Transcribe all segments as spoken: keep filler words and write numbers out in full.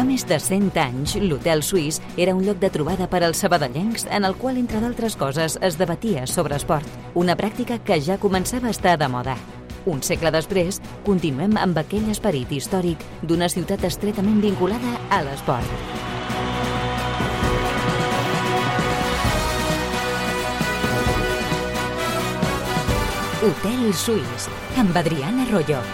més de cent anys, l'Hotel Suís era un lloc de trobada per als sabadellencs en el qual, entre d'altres coses, es debatia sobre esport, una pràctica que ja començava a estar de moda. Un segle després, continuem amb aquell esperit històric d'una ciutat estretament vinculada a l'esport. Hotel Suís, amb Adriana Arroyo.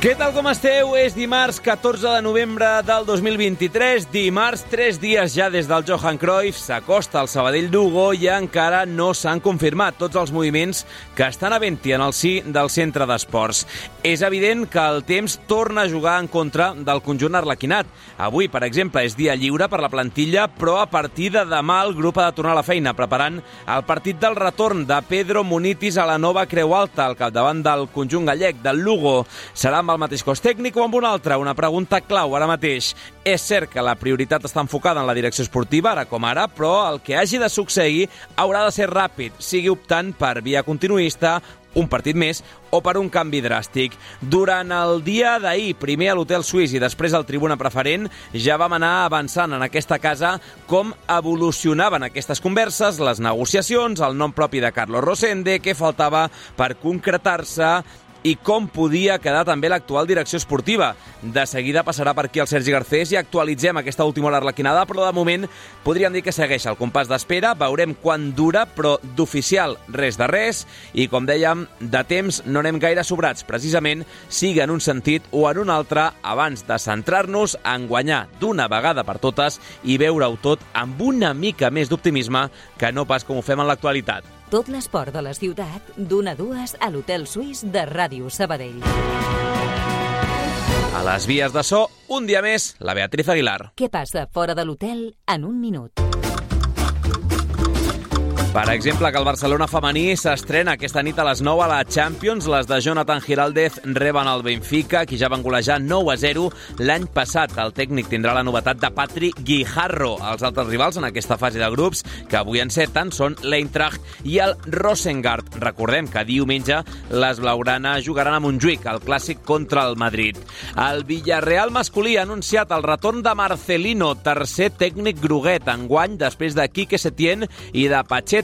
Què tal, com esteu? És dimarts catorze de novembre del dos mil vint-i-tres, dimarts, tres dies ja des del Johan Cruyff, s'acosta al Sabadell d'Hugo i encara no s'han confirmat tots els moviments que estan havent-hi en el si del centre d'esports. És evident que el temps torna a jugar en contra del conjunt arlequinat. Avui, per exemple, és dia lliure per la plantilla, però a partir de demà el grup ha de tornar a la feina, preparant el partit del retorn de Pedro Munitis a la nova Creu Alta, al capdavant del conjunt gallec, del Lugo. Serà amb el mateix cos tècnic o amb un altre? Una pregunta clau ara mateix. És cert que la prioritat està enfocada en la direcció esportiva, ara com ara, però el que hagi de succeir haurà de ser ràpid, sigui optant per via continuista, un partit més o per un canvi dràstic. Durant el dia d'ahir, primer a l'Hotel Suís i després al Tribuna Preferent, ja vam anar avançant en aquesta casa com evolucionaven aquestes converses, les negociacions, el nom propi de Carlos Rosende, què faltava per concretar-se i com podia quedar també l'actual direcció esportiva. De seguida passarà per aquí el Sergi Garcés i actualitzem aquesta última hora arlequinada, però de moment podríem dir que segueix el compàs d'espera, veurem quan dura, però d'oficial res de res, i com dèiem, de temps no anem gaire sobrats, precisament sigui en un sentit o en un altre, abans de centrar-nos en guanyar d'una vegada per totes i veure-ho tot amb una mica més d'optimisme que no pas com ho fem en l'actualitat. Tot l'esport de la ciutat, d'una a dues a l'Hotel Suís de Ràdio Sabadell. A les vies de so, un dia més, la Beatriz Aguilar. Què passa fora de l'hotel en un minut? Per exemple, que el Barcelona femení s'estrena aquesta nit a les nou a la Champions. Les de Jonathan Giraldez reben el Benfica, qui ja van golejar nou a zero l'any passat. El tècnic tindrà la novetat de Patri Guijarro. Els altres rivals en aquesta fase de grups, que avui enceten, són l'Eintracht i el Rosengard. Recordem que diumenge les blaugranes jugaran a Montjuïc, el clàssic contra el Madrid. El Villarreal masculí ha anunciat el retorn de Marcelino, tercer tècnic groguet, enguany després de Quique Setién i de Pacheta.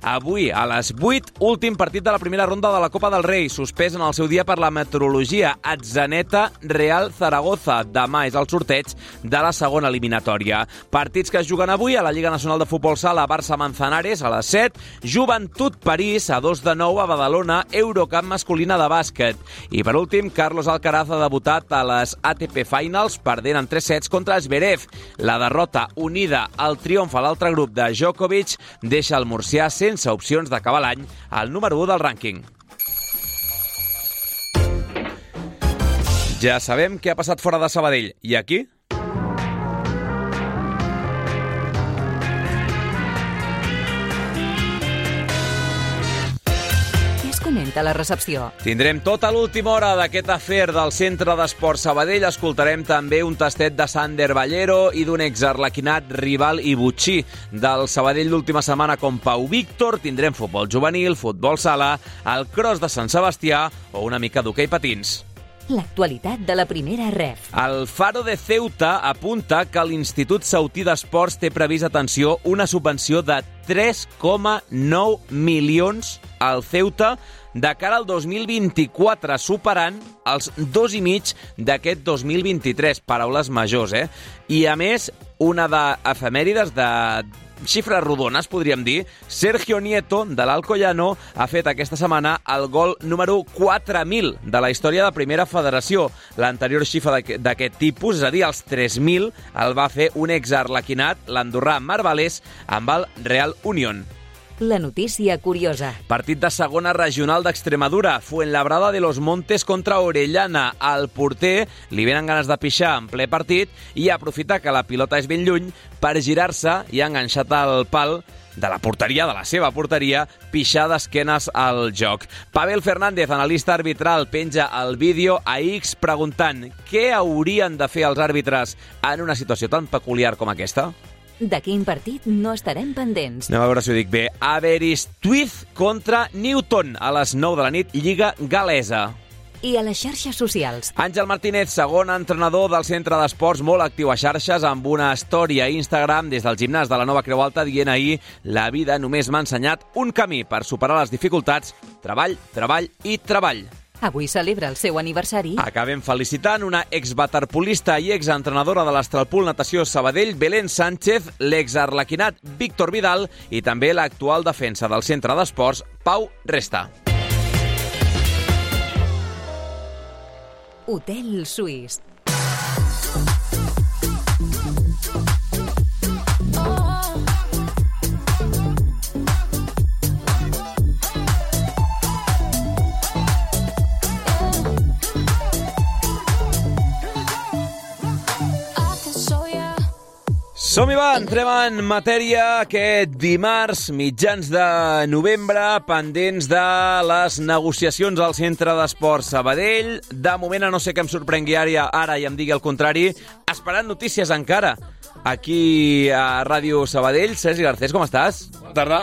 Avui, a les vuit, últim partit de la primera ronda de la Copa del Rei, suspès en el seu dia per la meteorologia. Atzaneta Real Zaragoza. Demà és el sorteig de la segona eliminatòria. Partits que es juguen avui a la Lliga Nacional de Futbol Sala, Barça Manzanares a les set, Joventut París a dos de nou a Badalona, Eurocup masculina de bàsquet. I per últim, Carlos Alcaraz ha debutat a les A T P Finals, perdent en tres sets contra Zverev. La derrota unida al triomf a l'altre grup de Djokovic deixa el murcià sense opcions d'acabar l'any al número u del rànquing. Ja sabem què ha passat fora de Sabadell. I aquí? Comenta la recepció. Tindrem tota l'última hora d'aquest afer del Centre d'Esport Sabadell. Escoltarem també un tastet de Sander Ballero i d'un exarlequinat rival i butxí del Sabadell l'última setmana com Pau Víctor. Tindrem futbol juvenil, futbol sala, el cross de Sant Sebastià o una mica d'hoquei patins. L'actualitat de la primera ref. El Faro de Ceuta apunta que l'Institut Ceutí d'Esports té previst, atenció, una subvenció de tres coma nou milions al Ceuta de cara al dos mil vint-i-quatre, superant els dos i mig d'aquest dos mil vint-i-tres. Paraules majors, eh? I, a més, una d'efemèrides de xifres rodones, podríem dir. Sergio Nieto, de l'Alcoyano, ha fet aquesta setmana el gol número quatre mil de la història de Primera Federació. L'anterior xifra d'aquest tipus, és a dir, els tres mil, el va fer un exarlequinat, l'andorrà Marbalés, amb el Real Unión. La notícia curiosa. Partit de segona regional d'Extremadura. Fuenlabrada de los Montes contra Orellana. Al porter li venen ganes de pixar en ple partit i aprofita que la pilota és ben lluny per girar-se i ha enganxat el pal de la porteria, de la seva porteria, pixar d'esquenes al joc. Pavel Fernández, analista arbitral, penja el vídeo a X preguntant què haurien de fer els àrbitres en una situació tan peculiar com aquesta? De quin partit no estarem pendents? Anem a veure si ho dic bé. Aberystwyth contra Newton a les nou de la nit, Lliga Galesa. i a les xarxes socials. Àngel Martínez, segon entrenador del centre d'esports, molt actiu a xarxes, amb una història a Instagram des del gimnàs de la Nova Creu Alta dient ahir: la vida només m'ha ensenyat un camí per superar les dificultats, treball, treball i treball. Avui celebra el seu aniversari. Acabem felicitant una exwaterpolista i exentrenadora de l'Astralpool Natació Sabadell, Belén Sánchez, l'exarlequinat Víctor Vidal i també l'actual defensa del centre d'esports, Pau Resta. Hotel Suís. Som-hi va, entrem en matèria aquest dimarts, mitjans de novembre, pendents de les negociacions al centre d'esports Sabadell. De moment, a no ser que em sorprengui ara, ara i em digui el contrari, esperant notícies encara. Aquí a Ràdio Sabadell. Sergi Garcés, com estàs? Bona tarda.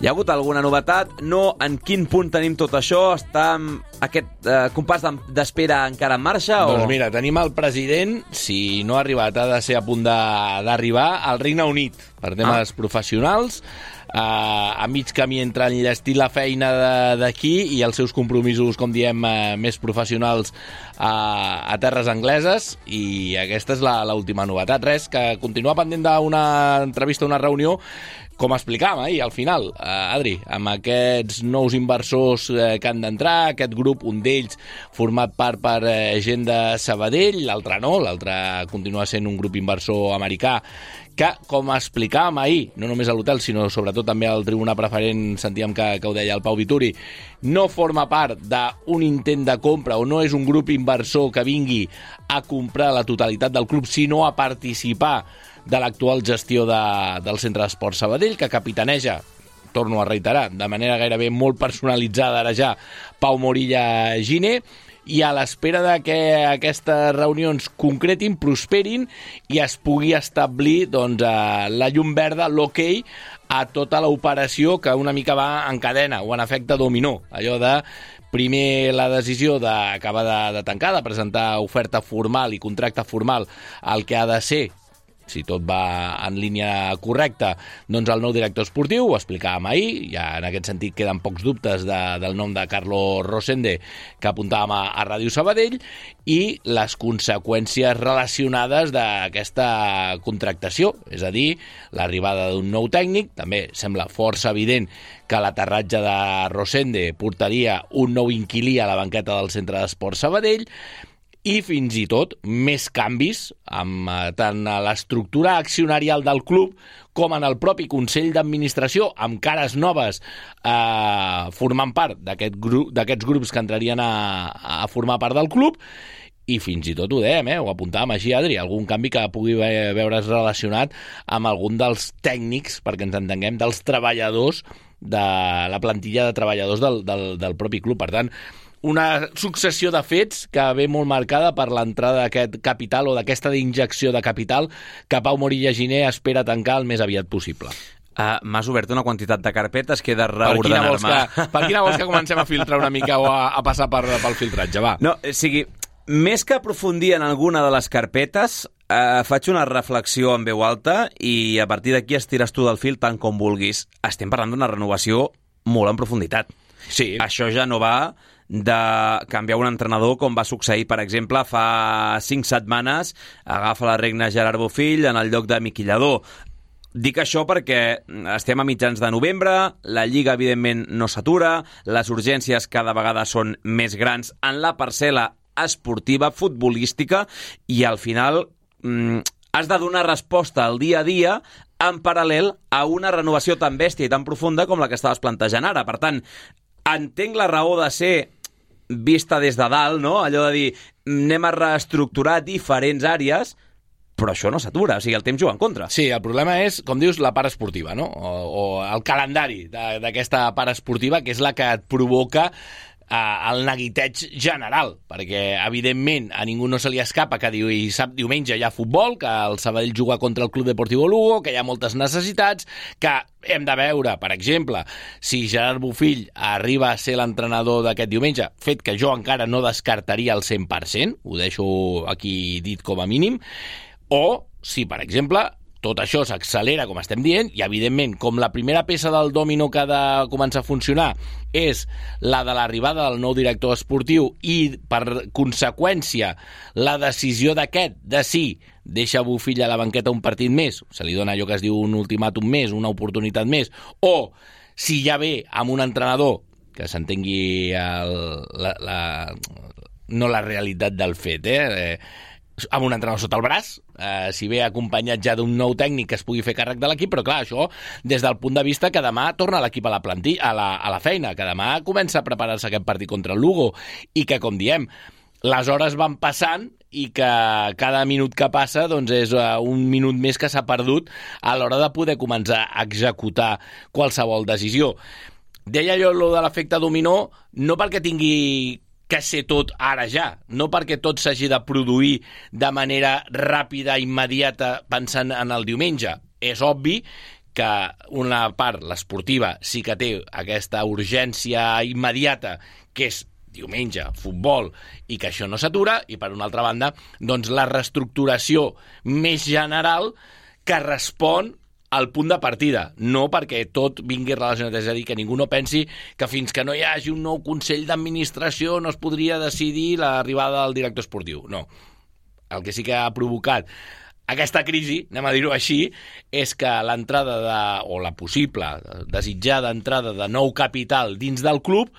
Hi ha hagut alguna novetat? No, en quin punt tenim tot això? Està aquest eh, compàs d'espera encara en marxa? Doncs o... mira, tenim el president, si no ha arribat, ha de ser a punt d'arribar al Regne Unit per temes ah. professionals, eh, a mig camí entre enllestir la feina d'aquí i els seus compromisos, com diem, eh, més professionals a, a terres angleses, i aquesta és l'última novetat. Res, que continua pendent d'una entrevista, una reunió, com explicàvem ahir, al final, eh, Adri, amb aquests nous inversors eh, que han d'entrar, aquest grup, un d'ells format part per eh, gent de Sabadell, l'altre no, l'altre continua sent un grup inversor americà, que, com explicàvem ahir, no només a l'hotel, sinó sobretot també al tribuna preferent, sentíem que, que ho deia el Pau Vituri, no forma part d'un intent de compra o no és un grup inversor que vingui a comprar la totalitat del club, sinó a participar de l'actual gestió de, del centre d'esports Sabadell, que capitaneja, torno a reiterar, de manera gairebé molt personalitzada ara ja, Pau Morilla Giner, i a l'espera de que aquestes reunions concretin, prosperin i es pugui establir doncs, la llum verda, l'hoquei, a tota l'operació que una mica va en cadena o en efecte dominó. Allò de primer la decisió d'acabar de, de tancar, de presentar oferta formal i contracte formal al que ha de ser, si tot va en línia correcta, doncs el nou director esportiu, ho explicàvem ahir, ja en aquest sentit queden pocs dubtes de, del nom de Carlos Rosende que apuntàvem a, a Ràdio Sabadell, i les conseqüències relacionades d'aquesta contractació, és a dir, l'arribada d'un nou tècnic. També sembla força evident que l'aterratge de Rosende portaria un nou inquilí a la banqueta del centre d'esports Sabadell, i fins i tot més canvis amb eh, tant a l'estructura accionarial del club com en el propi Consell d'Administració, amb cares noves eh, formant part d'aquest grup, d'aquests grups que entrarien a, a formar part del club, i fins i tot ho dèiem, eh, ho apuntàvem així, Adri, algun canvi que pugui veure's relacionat amb algun dels tècnics, perquè ens entenguem, dels treballadors, de la plantilla de treballadors del, del, del propi club. Per tant, una successió de fets que ve molt marcada per l'entrada d'aquest capital o d'aquesta injecció de capital que Pau Morilla Giner espera tancar el més aviat possible. Uh, M'has obert una quantitat de carpetes que he de reordenar-me. Per, per quina vols que comencem a filtrar una mica o a, a passar per, pel filtratge? Va. No, o sigui, més que aprofundir en alguna de les carpetes, uh, faig una reflexió en veu alta i a partir d'aquí estires tu del fil tant com vulguis. Estem parlant d'una renovació molt en profunditat. Sí. Això ja no va de canviar un entrenador com va succeir, per exemple, fa cinc setmanes agafa la regna Gerard Bofill en el lloc de Miqui Lladó. Dic això perquè estem a mitjans de novembre, la Lliga evidentment no s'atura, les urgències cada vegada són més grans en la parcel·la esportiva, futbolística, i al final mm, has de donar resposta al dia a dia en paral·lel a una renovació tan bèstia i tan profunda com la que estaves plantejant ara. Per tant, entenc la raó de ser vista des de dalt, no? Allò de dir, anem a reestructurar diferents àrees, però això no s'atura, o sigui, el temps juga en contra. Sí, el problema és, com dius, la part esportiva, no? O, o el calendari d'aquesta part esportiva, que és la que et provoca el neguiteig general, perquè evidentment a ningú no se li escapa que diu, i sap, diumenge hi ha futbol, que el Sabadell juga contra el Club Deportivo Lugo, que hi ha moltes necessitats, que hem de veure, per exemple, si Gerard Bofill arriba a ser l'entrenador d'aquest diumenge, fet que jo encara no descartaria al cent per cent, ho deixo aquí dit com a mínim, o si, per exemple, tot això s'accelera, com estem dient, i, evidentment, com la primera peça del dòmino que ha de començar a funcionar és la de l'arribada del nou director esportiu i, per conseqüència, la decisió d'aquest de si deixa Bofill a la banqueta un partit més, se li dona allò que es diu un ultimàtum més, una oportunitat més, o si ja ve amb un entrenador que s'entengui el, la, la, no la realitat del fet, eh? eh amb un entrenador sota el braç, eh, si ve acompanyat ja d'un nou tècnic que es pugui fer càrrec de l'equip, però clar, això des del punt de vista que demà torna l'equip a la plantilla, a la, a la feina, que demà comença a preparar-se aquest partit contra el Lugo, i que, com diem, les hores van passant i que cada minut que passa doncs és un minut més que s'ha perdut a l'hora de poder començar a executar qualsevol decisió. Deia jo allò de l'efecte dominó, no perquè tingui que ser tot ara ja, no perquè tot s'hagi de produir de manera ràpida, immediata, pensant en el diumenge. És obvi que una part, l'esportiva, sí que té aquesta urgència immediata, que és diumenge, futbol, i que això no s'atura, i per una altra banda, doncs la reestructuració més general que respon al punt de partida, no perquè tot vingui relacionat, és a dir, que ningú no pensi que fins que no hi hagi un nou Consell d'Administració no es podria decidir l'arribada del director esportiu. No. El que sí que ha provocat aquesta crisi, anem a dir-ho així, és que l'entrada de, o la possible, desitjada entrada de nou capital dins del club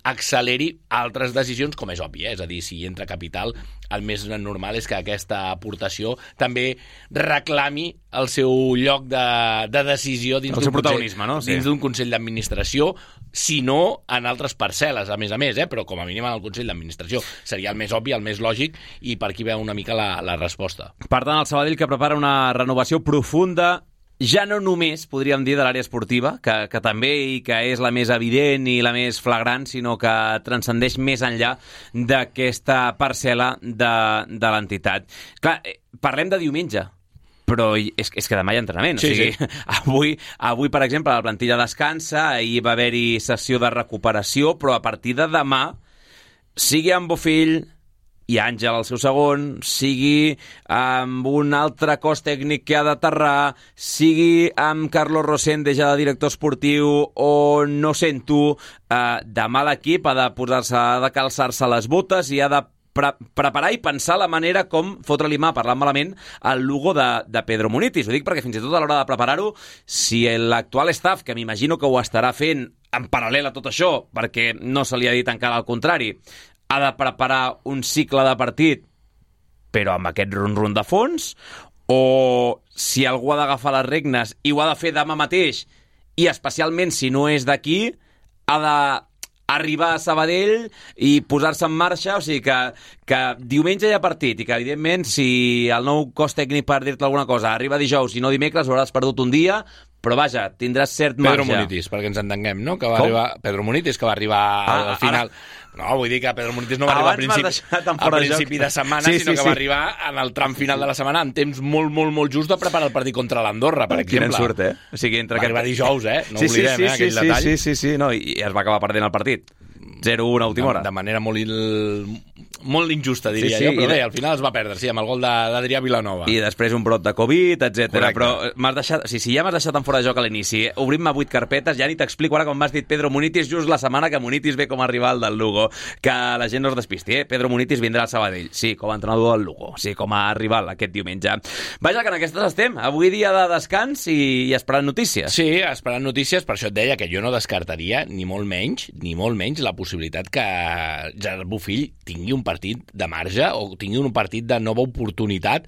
acceleri altres decisions, com és obvi, eh? És a dir, si entra capital, el més normal és que aquesta aportació també reclami el seu lloc de, de decisió dins d'un consell, no? Sí. dins d'un consell d'administració, si no en altres parcel·les, a més a més, eh? Però com a mínim en el consell d'administració. Seria el més obvi, el més lògic, i per aquí veu una mica la, la resposta. Per tant, el Sabadell que prepara una renovació profunda, ja no només, podríem dir, de l'àrea esportiva, que, que també i que és la més evident i la més flagrant, sinó que transcendeix més enllà d'aquesta parcel·la de, de l'entitat. Clar, parlem de diumenge, però és, és que demà hi ha entrenament. Sí, o sigui, sí. Avui, avui, per exemple, la plantilla descansa, ahir va haver-hi sessió de recuperació, però a partir de demà, sigui amb Bofill i Àngel al seu segon, sigui amb un altre cos tècnic que ha d'aterrar, sigui amb Carlos Rosende ja de director esportiu o no sent tu, eh, demà l'equip ha de posar-se, ha de calçar-se les botes i ha de pre preparar i pensar la manera com fotre-li mà, parlant malament, al Lugo de, de Pedro Munitis. Ho dic perquè fins i tot a l'hora de preparar-ho, si l'actual staff, que m'imagino que ho estarà fent en paral·lel a tot això, perquè no se li ha dit encara al contrari, ha de preparar un cicle de partit, però amb aquest run-run de fons, o si algú ha d'agafar les regnes i ho ha de fer demà mateix, i especialment si no és d'aquí, ha d'arribar a Sabadell i posar-se en marxa, o sigui que, que diumenge hi ha partit i que, evidentment, si el nou cos tècnic, per dir-te alguna cosa, arriba dijous i no dimecres, hauràs perdut un dia, però vaja, tindràs cert marge. Pedro Munitis, perquè ens entenguem, no? Que va arribar, Pedro Munitis, que va arribar ah, al final... Ara... No, vull dir que Pedro Munitis no va arribar a principi, a principi de setmana, sí, sinó sí, que sí. va arribar en el tram final de la setmana en temps molt, molt, molt just de preparar el partit contra l'Andorra, per exemple. Quina sort, eh? O sigui, entre va aquest... arribar dijous, eh? No sí, oblidem, sí, sí, eh, aquell sí, detall. Sí, sí, sí, no, i es va acabar perdent el partit. zero a una a última hora. De, de manera molt, il... molt injusta, diria sí, sí, jo, però de... bé, al final es va perdre, sí, amb el gol d'Adrià Vilanova. I després un brot de Covid, etcètera. Però m'has deixat, o sigui, si ja m'has deixat en fora de joc a l'inici, obrim-me vuit carpetes, ja ni t'explico ara com m'has dit Pedro Munitis just la setmana que Munitis ve com a rival del Lugo. Que la gent no es despisti, eh? Pedro Munitis vindrà al Sabadell, sí, com a entrenador del Lugo, sí, com a rival aquest diumenge. Vaja, que en aquestes estem. Avui dia de descans i, i esperant notícies. Sí, esperant notícies, per això et deia que jo no descartaria, ni molt menys, ni molt menys, la possibilitat que Gerard Bofill tingui un partit de marge o tingui un partit de nova oportunitat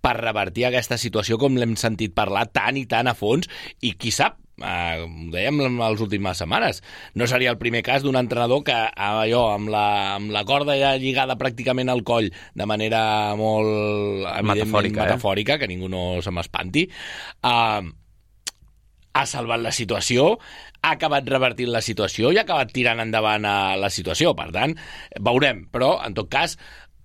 per revertir aquesta situació com l'hem sentit parlar tant i tant a fons, i qui sap, eh, ho dèiem en les últimes setmanes, no seria el primer cas d'un entrenador que allò, amb la, amb la corda ja lligada pràcticament al coll de manera molt metafòrica, metafòrica eh? que ningú no se m'espanti, eh, ha salvat la situació, ha acabat revertint la situació i ha acabat tirant endavant a la situació. Per tant, veurem. Però, en tot cas,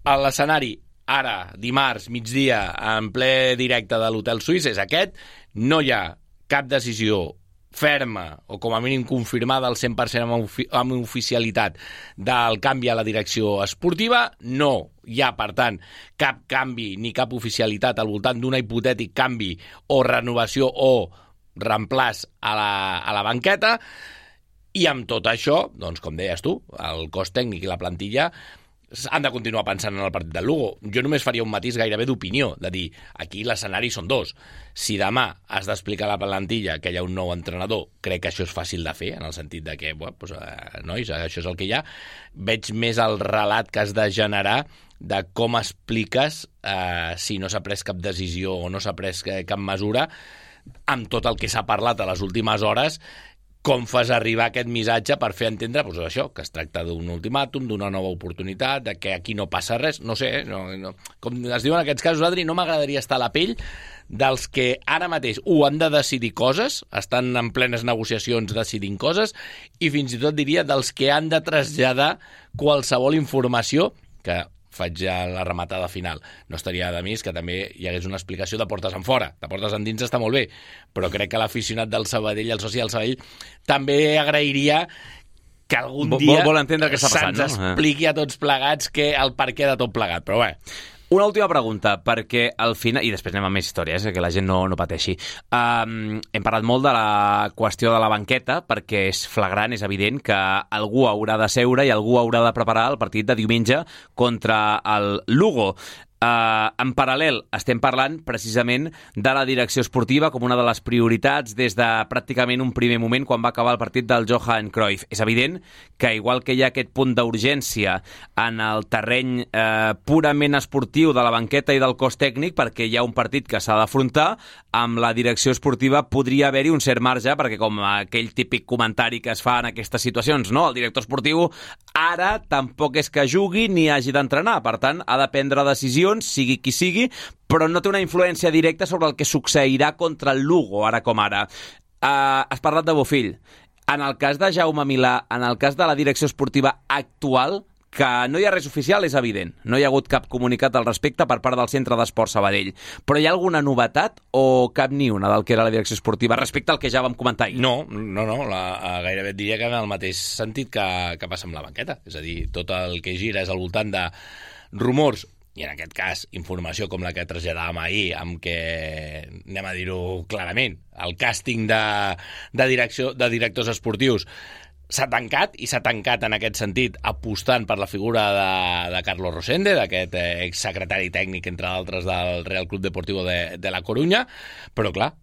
a l'escenari ara, dimarts, migdia, en ple directe de l'Hotel Suís, és aquest. No hi ha cap decisió ferma o com a mínim confirmada al cent per cent amb, ofi amb oficialitat del canvi a la direcció esportiva. No hi ha, per tant, cap canvi ni cap oficialitat al voltant d'un hipotètic canvi o renovació o reemplaç a la, a la banqueta. I amb tot això, doncs, com deies tu, el cos tècnic i la plantilla han de continuar pensant en el partit del Lugo. Jo només faria un matís gairebé d'opinió, de dir, aquí l'escenari són dos. Si demà has d'explicar a la plantilla que hi ha un nou entrenador, crec que això és fàcil de fer, en el sentit de que, bueno, doncs, eh, nois, això és el que hi ha. Veig més el relat que has de generar de com expliques eh, si no s'ha pres cap decisió o no s'ha pres cap mesura, amb tot el que s'ha parlat a les últimes hores, com fas arribar aquest missatge per fer entendre doncs això, que es tracta d'un ultimàtum, d'una nova oportunitat, de que aquí no passa res, no sé, no, no. Com es diuen en aquests casos, Adri, no m'agradaria estar a la pell dels que ara mateix ho han de decidir coses, estan en plenes negociacions decidint coses, i fins i tot diria dels que han de traslladar qualsevol informació que faig ja la rematada final. No estaria de més que també hi hagués una explicació de portes en fora. De portes en dins està molt bé, però crec que l'aficionat del Sabadell, el soci del Sabadell, també agrairia que algun dia vol, vol entendre què està passant, se'ns expliqui a tots plegats que el perquè de tot plegat. Però bé, una última pregunta, perquè al final, i després anem a més històries, eh, que la gent no, no pateixi. Um, hem parlat molt de la qüestió de la banqueta, perquè és flagrant, és evident que algú haurà de seure i algú haurà de preparar el partit de diumenge contra el Lugo. Uh, en paral·lel estem parlant precisament de la direcció esportiva com una de les prioritats des de pràcticament un primer moment quan va acabar el partit del Johan Cruyff. És evident que igual que hi ha aquest punt d'urgència en el terreny eh, purament esportiu de la banqueta i del cos tècnic, perquè hi ha un partit que s'ha d'afrontar, amb la direcció esportiva podria haver-hi un cert marge, perquè com aquell típic comentari que es fa en aquestes situacions, no? El director esportiu ara tampoc és que jugui ni hagi d'entrenar, per tant ha de prendre decisions, sigui qui sigui, però no té una influència directa sobre el que succeirà contra el Lugo, ara com ara. Uh, has parlat de Bofill. En el cas de Jaume Milà, en el cas de la direcció esportiva actual, que no hi ha res oficial, és evident. No hi ha hagut cap comunicat al respecte per part del Centre d'Esport Sabadell. Però hi ha alguna novetat o cap ni una del que era la direcció esportiva respecte al que ja vam comentar ahir? No, no, no. La, gairebé et diria que en el mateix sentit que, que passa amb la banqueta. És a dir, tot el que gira és al voltant de rumors, i en aquest cas informació com la que traslladàvem ahir, amb què, anem a dir-ho clarament, el càsting de, de, direcció, de directors esportius s'ha tancat, i s'ha tancat en aquest sentit apostant per la figura de, de Carlos Rosende, d'aquest eh, exsecretari tècnic, entre d'altres, del Real Club Deportivo de, de la Corunya, però clar,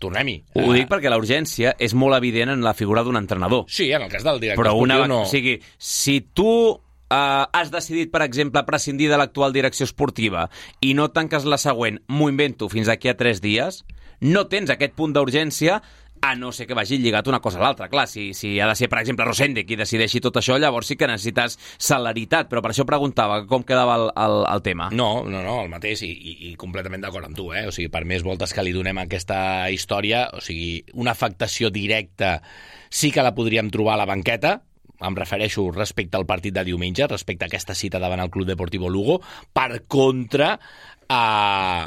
tornem-hi. Ho uh, dic perquè la urgència és molt evident en la figura d'un entrenador. Sí, en el cas del director però esportiu una, no. O sigui, si tu Uh, has decidit, per exemple, prescindir de l'actual direcció esportiva i no tanques la següent, m'ho invento, fins aquí a tres dies, no tens aquest punt d'urgència, a no ser que vagi lligat una cosa a l'altra. Clar, si, si ha de ser, per exemple, Rosende qui decideixi tot això, llavors sí que necessites celeritat, però per això preguntava com quedava el, el, el tema. No, no, no, el mateix, i, i, i completament d'acord amb tu, eh? O sigui, per més voltes que li donem a aquesta història, o sigui, una afectació directa sí que la podríem trobar a la banqueta, em refereixo respecte al partit de diumenge, respecte a aquesta cita davant el Club Deportivo Lugo, per contra, eh,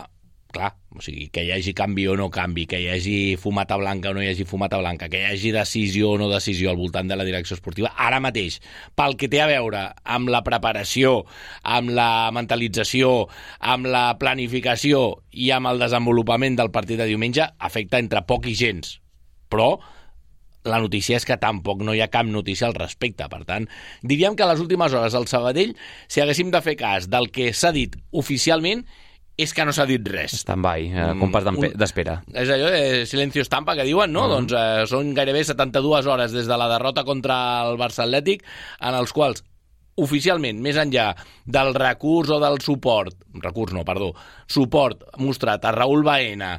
clar, o sigui, que hi hagi canvi o no canvi, que hi hagi fumata blanca o no hi hagi fumata blanca, que hi hagi decisió o no decisió al voltant de la direcció esportiva, ara mateix, pel que té a veure amb la preparació, amb la mentalització, amb la planificació i amb el desenvolupament del partit de diumenge, afecta entre poc i gens, però la notícia és que tampoc no hi ha cap notícia al respecte. Per tant, diríem que a les últimes hores al Sabadell, si haguéssim de fer cas del que s'ha dit oficialment, és que no s'ha dit res. Stand-by, eh, compàs d'espera. És allò de silencio estampa que diuen, no? Uh-huh. Doncs eh, són gairebé setanta-dues hores des de la derrota contra el Barça Atlètic, en els quals oficialment, més enllà del recurs o del suport, recurs no, perdó, suport mostrat a Raúl Baena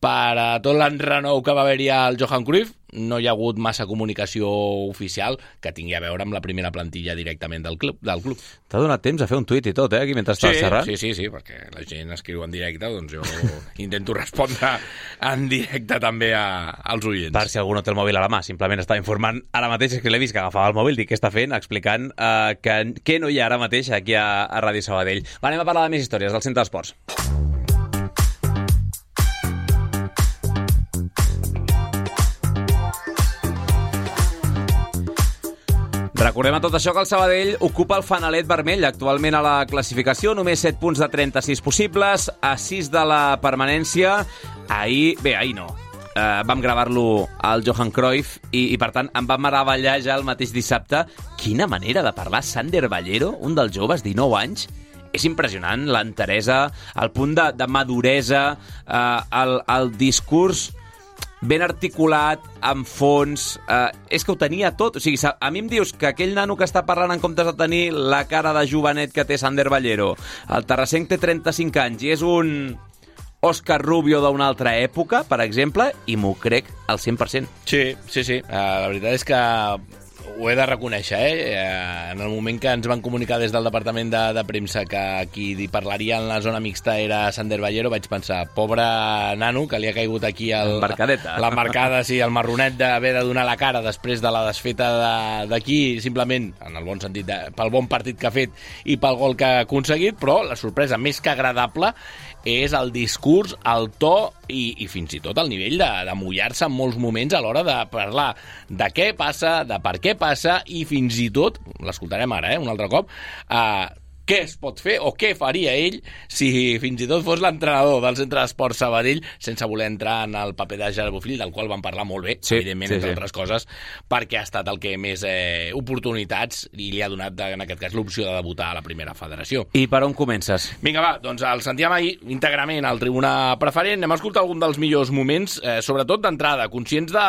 per a tot l'enrenou que va haver-hi al Johan Cruyff, no hi ha hagut massa comunicació oficial que tingui a veure amb la primera plantilla directament del club. Del club. T'ha donat temps a fer un tuit i tot, eh, aquí mentre estaves sí, xerrant? Sí, sí, sí, perquè la gent escriu en directe, doncs jo intento respondre en directe també a, als oients. Per si algú no té el mòbil a la mà, simplement estava informant ara mateix, és que l'he vist que agafava el mòbil, dic què està fent, explicant uh, que, què no hi ha ara mateix aquí a, a Ràdio Sabadell. Va, anem a parlar de més històries del Centre d'Esports. Recordem a tot això que el Sabadell ocupa el fanalet vermell actualment a la classificació, només set punts de trenta-sis possibles, a sis de la permanència. Ahir, bé, ahir no, uh, vam gravar-lo al Johan Cruyff i, i per tant em va meravellar ja el mateix dissabte. Quina manera de parlar Sander Ballero, un dels joves, dinou anys. És impressionant l'enteresa, el punt de, de maduresa, uh, el, el discurs ben articulat, amb fons, eh, és que ho tenia tot. O sigui, a mi em dius que aquell nano que està parlant en comptes de tenir la cara de jovenet que té Sander Ballero, el terrassenc té trenta-cinc anys i és un Òscar Rubio d'una altra època, per exemple, i m'ho crec al cent per cent. Sí, sí, sí. Uh, la veritat és que ho he de reconèixer, eh? En el moment que ens van comunicar des del departament de, de premsa que qui parlaria en la zona mixta era Sander Ballero, vaig pensar, pobre nano, que li ha caigut aquí el, l'embarcada, sí, el marronet d'haver de donar la cara després de la desfeta d'aquí, simplement, en el bon sentit, de, pel bon partit que ha fet i pel gol que ha aconseguit, però la sorpresa més que agradable és el discurs, el to i, i fins i tot el nivell de, de mullar-se en molts moments a l'hora de parlar de què passa, de per què passa i fins i tot, l'escoltarem ara, eh, un altre cop, eh, què es pot fer o què faria ell si fins i tot fos l'entrenador del Centre d'Esports Sabadell, sense voler entrar en el paper de Gerard Bofill, del qual van parlar molt bé, sí, evidentment, sí, entre sí. altres coses, perquè ha estat el que més eh, oportunitats i li ha donat, en aquest cas, l'opció de debutar a la primera federació. I per on comences? Vinga, va, doncs el sentíem ahir íntegrament al tribuna preferent. Anem a escoltar algun dels millors moments, eh, sobretot d'entrada, conscients de,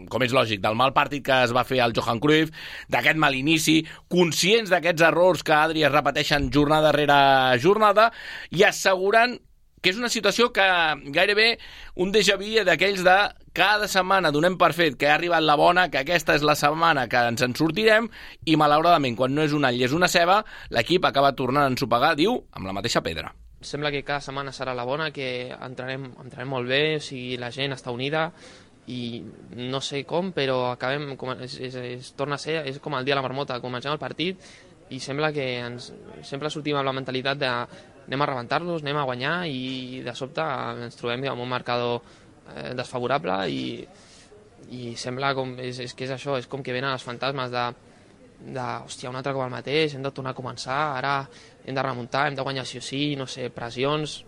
com és lògic, del mal partit que es va fer al Johan Cruyff, d'aquest mal inici, conscients d'aquests errors que, Adri, es repeteixen jornada darrere jornada i assegurant que és una situació que gairebé un déjà vu d'aquells de cada setmana donem per fet que ha arribat la bona, que aquesta és la setmana que ens en sortirem i malauradament quan no és un all i és una ceba, l'equip acaba tornant a ensopegar, diu, amb la mateixa pedra. Sembla que cada setmana serà la bona, que entrarem, entrarem molt bé, o sigui, la gent està unida i no sé com, però acabem, com, es, es, es torna a ser, és com el dia de la marmota, comencem el partit i sembla que ens, sempre sortim amb la mentalitat de anem a rebentar-los, anem a guanyar i de sobte ens trobem amb un marcador eh, desfavorable i, i sembla com, és, és que és això, és com que venen els fantasmes de, de hòstia, un altre cop el mateix, hem de tornar a començar, ara hem de remuntar, hem de guanyar sí o sí, no sé, pressions.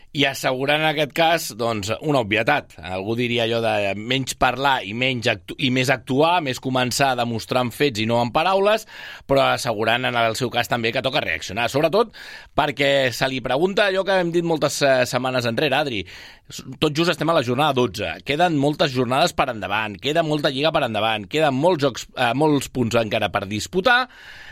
I assegurant en aquest cas, doncs, una obvietat. Algú diria allò de menys parlar i, menys actu i més actuar, més començar a demostrar amb fets i no amb paraules, però assegurant en el seu cas també que toca reaccionar. Sobretot perquè se li pregunta allò que hem dit moltes setmanes enrere, Adri. Tot just estem a la jornada dotze. Queden moltes jornades per endavant, queda molta lliga per endavant, queden molts, jocs, eh, molts punts encara per disputar,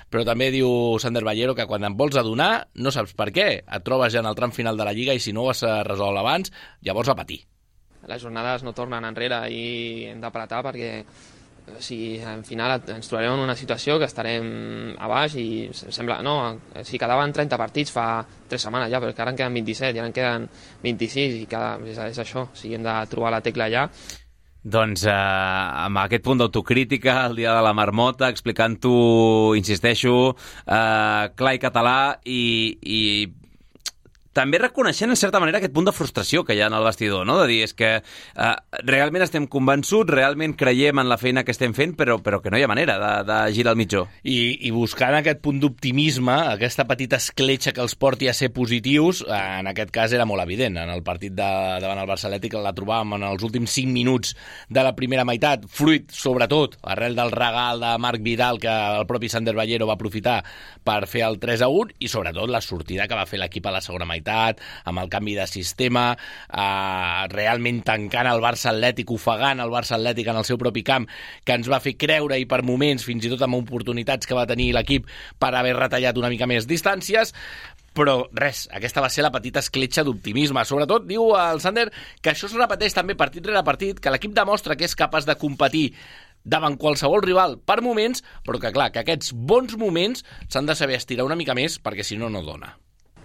però també diu Sander Ballero que quan em vols adonar no saps per què. Et trobes ja en el tram final de la Lliga i si no ho has resolt abans, llavors a patir. Les jornades no tornen enrere i hem d'apretar perquè o sigui, al final ens trobarem en una situació que estarem a baix i sembla, no, si quedaven trenta partits fa tres setmanes ja, però que ara en queden vint-i-set i ara en queden vint-i-sis i cada, és, és això, o sigui, hem de trobar la tecla allà. Doncs eh, amb aquest punt d'autocrítica, el dia de la marmota, explicant-ho, insisteixo, eh, clar i català i, i també reconeixent en certa manera aquest punt de frustració que hi ha en el vestidor, no? De dir, és que eh, realment estem convençuts, realment creiem en la feina que estem fent, però, però que no hi ha manera de, de girar el mitjó. I, i buscant aquest punt d'optimisme, aquesta petita escletxa que els porti a ser positius, eh, en aquest cas era molt evident. En el partit de, davant el Barça Atlètic la trobàvem en els últims cinc minuts de la primera meitat, fruit, sobretot, arrel del regal de Marc Vidal que el propi Sander Ballero va aprofitar per fer el tres a un i sobretot la sortida que va fer l'equip a la segona meitat intensitat, amb el canvi de sistema, eh, realment tancant el Barça Atlètic, ofegant el Barça Atlètic en el seu propi camp, que ens va fer creure i per moments, fins i tot amb oportunitats que va tenir l'equip per haver retallat una mica més distàncies. Però res, aquesta va ser la petita escletxa d'optimisme. Sobretot, diu el Sander, que això es repeteix també partit rere partit, que l'equip demostra que és capaç de competir davant qualsevol rival per moments, però que clar, que aquests bons moments s'han de saber estirar una mica més, perquè si no, no dona.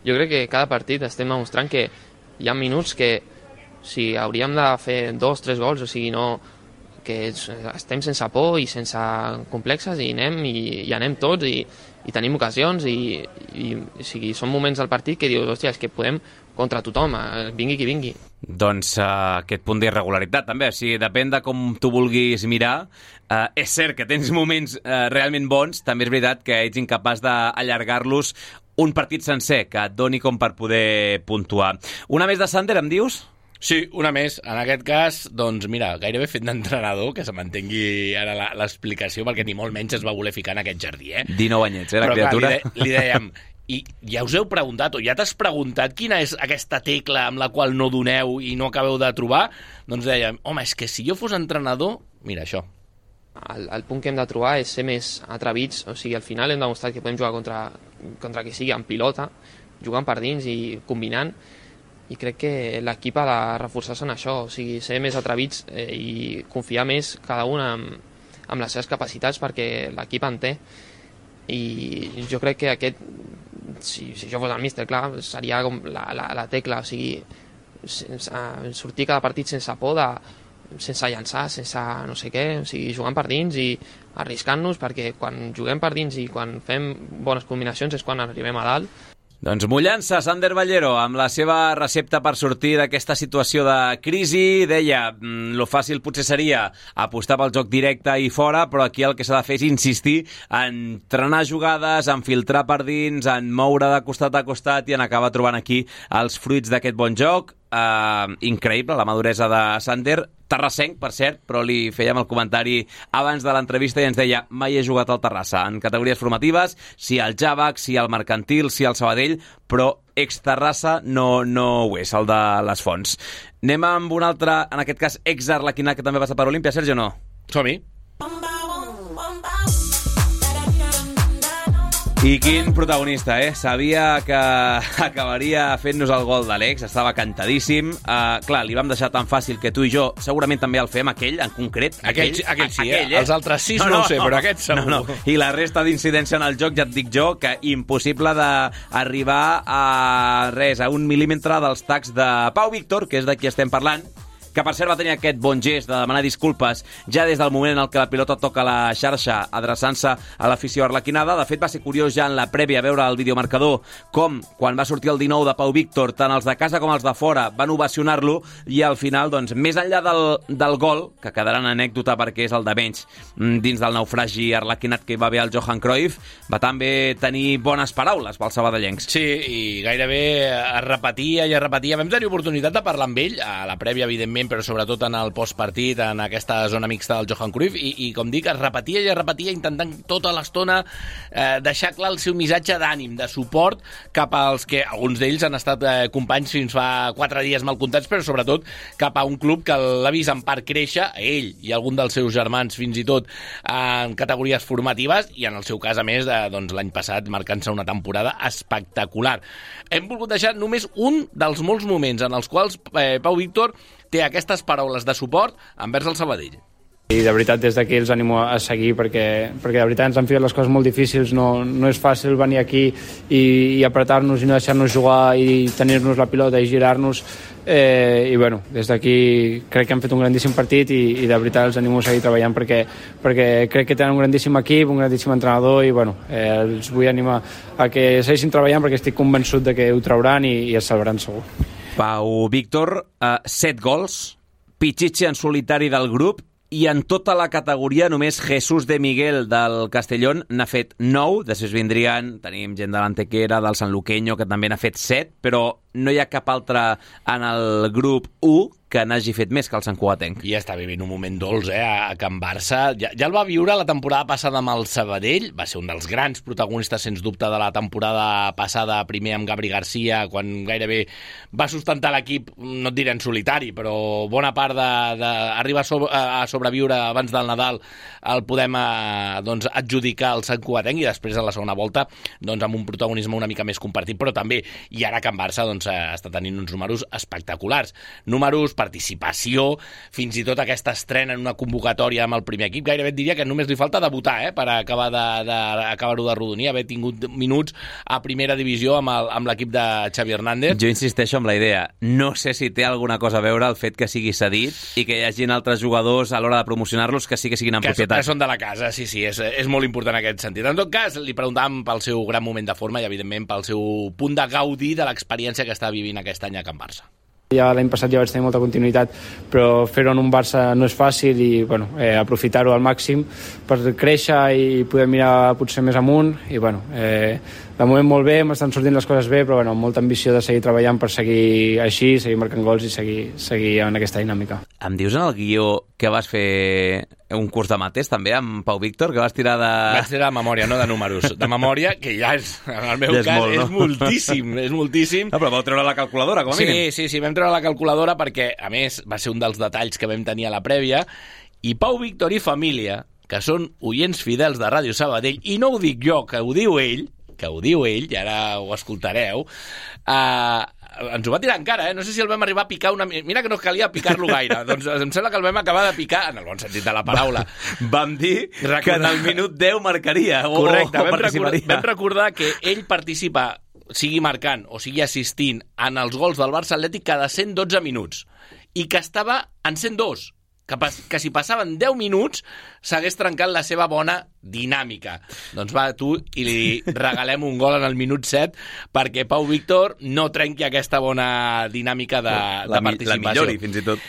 Jo crec que cada partit estem demostrant que hi ha minuts que si hauríem de fer dos, tres gols, o sigui, no, que estem sense por i sense complexes i anem, i, i anem tots i, i tenim ocasions i, i o sigui, són moments del partit que dius, hòstia, és que podem contra tothom, vingui qui vingui. Doncs uh, aquest punt d'irregularitat també, o sigui, depèn de com tu vulguis mirar. Uh, és cert que tens moments uh, realment bons, també és veritat que ets incapaç d'allargar-los un partit sencer que et doni com per poder puntuar. Una més de Sander, em dius? Sí, una més. En aquest cas, doncs mira, gairebé fet d'entrenador, que se m'entengui ara l'explicació, perquè ni molt menys es va voler ficar en aquest jardí, eh? dinou anyets, eh, la Però, criatura. Clar, li, de, li dèiem, i ja us heu preguntat, o ja t'has preguntat quina és aquesta tecla amb la qual no doneu i no acabeu de trobar? Doncs dèiem, home, és que si jo fos entrenador, mira això. El, el punt que hem de trobar és ser més atrevits, o sigui, al final hem demostrat que podem jugar contra, contra qui sigui, amb pilota, jugant per dins i combinant, i crec que l'equip ha de reforçar-se en això, o sigui, ser més atrevits eh, i confiar més cada un amb, amb les seves capacitats, perquè l'equip en té, i jo crec que aquest, si, si jo fos el míster, clar, seria com la, la, la tecla, o sigui, sense, sortir cada partit sense por de, sense llançar, sense no sé què, o sigui, jugant per dins i arriscant-nos, perquè quan juguem per dins i quan fem bones combinacions és quan arribem a dalt. Doncs mullant-se, Sander Ballero, amb la seva recepta per sortir d'aquesta situació de crisi. Deia, lo fàcil potser seria apostar pel joc directe i fora, però aquí el que s'ha de fer és insistir en trenar jugades, en filtrar per dins, en moure de costat a costat i en acabar trobant aquí els fruits d'aquest bon joc. Uh, increïble, la maduresa de Sander. Terrassenc, per cert, però li fèiem el comentari abans de l'entrevista i ens deia, mai he jugat al Terrassa, en categories formatives, si al Javac, si al Mercantil, si al Sabadell, però ex-Terrassa no, no ho és, el de les Fonts. Anem amb un altre, en aquest cas, ex-Arlequinat, que també passa per Olímpia. Sergi, o no? Som-hi. I quin protagonista, eh? Sabia que acabaria fent-nos el gol d'Àlex, estava cantadíssim. Uh, clar, li vam deixar tan fàcil que tu i jo segurament també el fem, aquell, en concret. Aquell, aquell, aquell sí, aquell, eh? Els altres sis no, no, no ho sé, no, però aquest segur. No, no. I la resta d'incidència en el joc, ja et dic jo, que impossible d'arribar a res, a un mil·límetre dels tacs de Pau Víctor, que és de qui estem parlant, que per cert va tenir aquest bon gest de demanar disculpes ja des del moment en el que la pilota toca la xarxa adreçant-se a l'afició arlequinada. De fet, va ser curiós ja en la prèvia veure el videomarcador com, quan va sortir el dinou de Pau Víctor, tant els de casa com els de fora van ovacionar-lo i al final, doncs, més enllà del, del gol, que quedarà en anècdota perquè és el de menys dins del naufragi arlequinat que hi va haver el Johan Cruyff, va també tenir bones paraules pels sabadellencs. Sí, i gairebé es repetia i es repetia. Vam tenir oportunitat de parlar amb ell, a la prèvia, evidentment, però sobretot en el postpartit, en aquesta zona mixta del Johan Cruyff, i, i com dic, es repetia i es repetia intentant tota l'estona eh, deixar clar el seu missatge d'ànim, de suport cap als que alguns d'ells han estat eh, companys fins fa quatre dies mal comptats, però sobretot cap a un club que l'ha vist en part créixer, a ell i algun dels seus germans fins i tot en categories formatives, i en el seu cas, a més, eh, doncs, l'any passat marcant-se una temporada espectacular. Hem volgut deixar només un dels molts moments en els quals eh, Pau Víctor té aquestes paraules de suport envers el Sabadell. I de veritat des d'aquí els animo a seguir perquè, perquè de veritat ens han fet les coses molt difícils, no, no és fàcil venir aquí i, i apretar-nos i no deixar-nos jugar i tenir-nos la pilota i girar-nos, eh, i bueno, des d'aquí crec que han fet un grandíssim partit i, i de veritat els animo a seguir treballant perquè, perquè crec que tenen un grandíssim equip, un grandíssim entrenador i bueno, eh, els vull animar a que segueixin treballant perquè estic convençut de que ho trauran i, i es salvaran segur. Pau Víctor, uh, set gols, Pichichi en solitari del grup, i en tota la categoria només Jesús de Miguel del Castellón n'ha fet nou, després vindrien, tenim gent de l'Antequera, del Sanluqueño, que també n'ha fet set, però no hi ha cap altre en el grup u que n'hagi fet més que el santcugatenc. I està vivint un moment dolç, eh, a Can Barça. Ja, ja el va viure la temporada passada amb el Sabadell, va ser un dels grans protagonistes, sens dubte, de la temporada passada, primer amb Gabri Garcia, quan gairebé va sustentar l'equip, no et diré en solitari, però bona part d'arribar a, sobre, a sobreviure abans del Nadal el podem eh, doncs, adjudicar al santcugatenc, i després a la segona volta doncs, amb un protagonisme una mica més compartit, però també, i ara Can Barça doncs, està tenint uns números espectaculars. Números, participació, fins i tot aquesta estrena en una convocatòria amb el primer equip. Gairebé et diria que només li falta debutar eh, per acabar de, de, acabar-ho de rodonir, haver tingut minuts a primera divisió amb, el, amb l'equip de Xavi Hernández. Jo insisteixo amb la idea. No sé si té alguna cosa a veure el fet que sigui cedit i que hi hagin altres jugadors a l'hora de promocionar-los que sí que siguin en que propietat. Que són de la casa, sí, sí, és, és molt important en aquest sentit. En tot cas, li preguntàvem pel seu gran moment de forma i, evidentment, pel seu punt de gaudir de l'experiència que està vivint aquest any a Can Barça. Ja l'any passat ja vaig tenir molta continuïtat, però fer-ho en un Barça no és fàcil i bueno, eh, aprofitar-ho al màxim per créixer i poder mirar potser més amunt. I bueno, eh, de moment molt bé, m'estan sortint les coses bé, però bueno, amb molta ambició de seguir treballant per seguir així, seguir marcant gols i seguir, seguir en aquesta dinàmica. Em dius en el guió que vas fer un curs de mates també amb Pau Víctor, que vas tirar de... Vaig tirar de memòria, no de números. De memòria, que ja és, en el meu ja és cas, molt, no? és moltíssim, és moltíssim. No, però vau treure la calculadora, com a sí, mínim. Sí, sí, vam treure la calculadora perquè, a més, va ser un dels detalls que vam tenir a la prèvia, i Pau Víctor i família, que són oients fidels de Ràdio Sabadell, i no ho dic jo, que ho diu ell, que ho diu ell, i ara ho escoltareu, eh... ens ho va tirar encara, eh? No sé si el vam arribar a picar una... Mira que no calia picar-lo gaire. Doncs em sembla que el vam acabar de picar, en el bon sentit de la paraula. Vam dir Recordar... que en el minut deu marcaria. O, Correcte, o vam, recordar, vam recordar que ell participa, sigui marcant o sigui assistint, en els gols del Barça Atlètic cada cent dotze minuts. I que estava en cent dos. Que, pas, que si passaven deu minuts s'hagués trencat la seva bona dinàmica. Doncs va, tu, i li regalem un gol en el minut set perquè Pau Víctor no trenqui aquesta bona dinàmica de, la, de participació. La millori, fins i tot.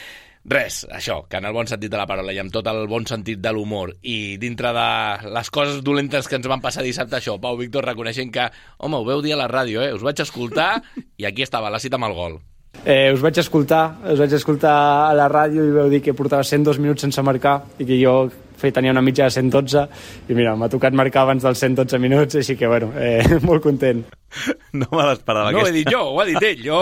Res, això, que en el bon sentit de la paraula i amb tot el bon sentit de l'humor i dintre de les coses dolentes que ens van passar dissabte, això, Pau Víctor reconeixent que, home, ho veu dir a la ràdio, eh? Us vaig escoltar i aquí estava, la cita amb el gol. Eh, us vaig escoltar, us vaig escoltar a la ràdio i vau dir que portava cent dos minuts sense marcar i que jo tenia una mitja de cent dotze i mira, m'ha tocat marcar abans dels cent dotze minuts, així que bueno, eh, molt content. No me l'esperava. No aquesta. ho he dit jo, ho ha dit ell, jo...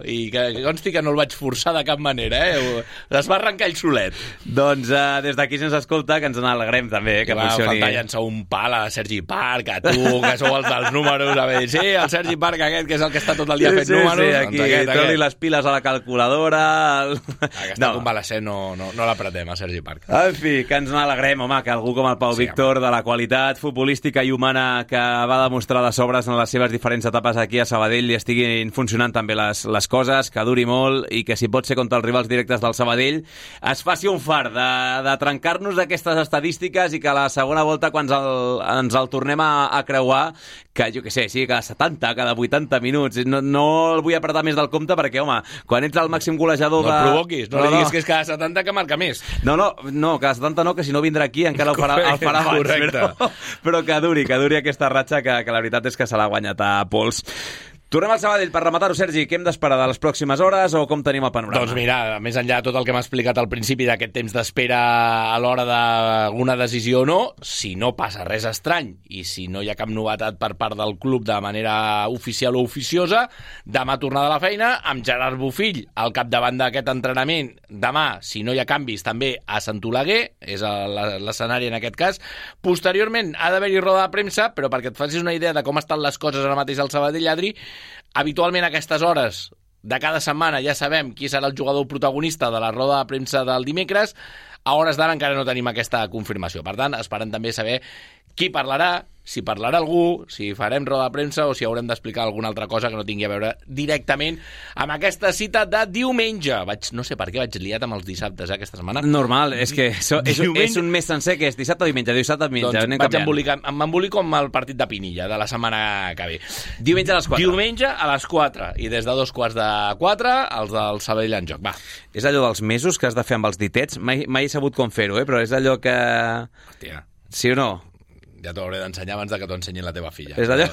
I que, que consti que no el vaig forçar de cap manera, eh? Es va arrencar ell solet. Doncs uh, des d'aquí se'ns escolta, que ens n'alegrem també, eh, que va funcioni. Va faltar llançar un pal a Sergi Parc, a tu, que sou els dels números, a veure, sí, el Sergi Parc aquest, que és el que està tot el dia sí, fent sí, números. Sí, aquí, doncs aquest, treu-li aquest. les piles a la calculadora... El... Aquesta no. convalescent no, no, no l'apretem, a Sergi Parc. En fi, que ens n'alegrem, home, que algú com el Pau sí, Víctor, home. De la qualitat futbolística i humana que va demostrar de sobres en les seves diferents etapes aquí a Sabadell i estiguin funcionant també les, les coses, que duri molt i que si pot ser contra els rivals directes del Sabadell es faci un far de, de trencar-nos d'aquestes estadístiques i que a la segona volta quan ens el, ens el tornem a, a creuar, que jo què sé, sí, cada setanta, cada vuitanta minuts, no, no el vull apretar més del compte perquè, home, quan ets el màxim golejador de... No el provoquis, no, no li diguis no. que és cada setanta que marca més. No, no, no, cada setanta no, que si no vindrà aquí encara el farà, el farà abans. Però, però que duri, que duri aquesta ratxa que, que la veritat és que se l'ha guanyat a pols. Tornem al Sabadell per rematar-ho, Sergi. Què hem d'esperar de les pròximes hores o com tenim el panorama? Doncs mira, més enllà de tot el que m'ha explicat al principi d'aquest temps d'espera a l'hora d'alguna decisió o no, si no passa res estrany i si no hi ha cap novetat per part del club de manera oficial o oficiosa, demà tornada a la feina amb Gerard Bofill al capdavant d'aquest entrenament. Demà, si no hi ha canvis, també a Sant Oleguer, és l'escenari en aquest cas. Posteriorment ha d'haver-hi roda de premsa, però perquè et facis una idea de com estan les coses ara mateix al Sabadell, Adri, habitualment a aquestes hores de cada setmana ja sabem qui serà el jugador protagonista de la roda de premsa del dimecres. A hores d'ara encara no tenim aquesta confirmació. Per tant, esperem també saber qui parlarà, si parlarà algú, si farem roda de premsa o si haurem d'explicar alguna altra cosa que no tingui a veure directament amb aquesta cita de diumenge. Vaig, no sé per què vaig liat amb els dissabtes, eh, aquesta setmana. Normal, és que so, és, és un mes sencer que és dissabte o diumenge, dissabte o diumenge. Doncs vaig embolicar, m'embolico amb el partit de Pinilla de la setmana que ve. Diumenge a les quatre. Diumenge a les quatre. I des de dos quarts de quatre, els del Sabadell en joc. Va. És allò dels mesos que has de fer amb els ditets. Mai, mai he sabut com fer-ho, eh? Però és allò que... Hòstia. Sí o no? Ja t'ho hauré d'ensenyar abans de que t'ho ensenyi la teva filla. És allò?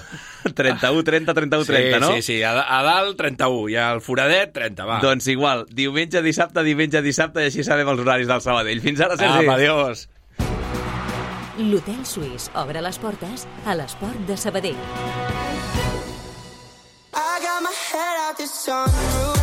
trenta-u, trenta, trenta-u, trenta, no? Sí, sí, sí. A, a dalt, trenta-u, i al foradet, trenta, va. Doncs igual, diumenge, dissabte, diumenge, dissabte, i així sabem els horaris del Sabadell. Fins ara, Sergi. Ah, adiós. L'Hotel Suís obre les portes a l'esport de Sabadell. I got my head out the sunroof.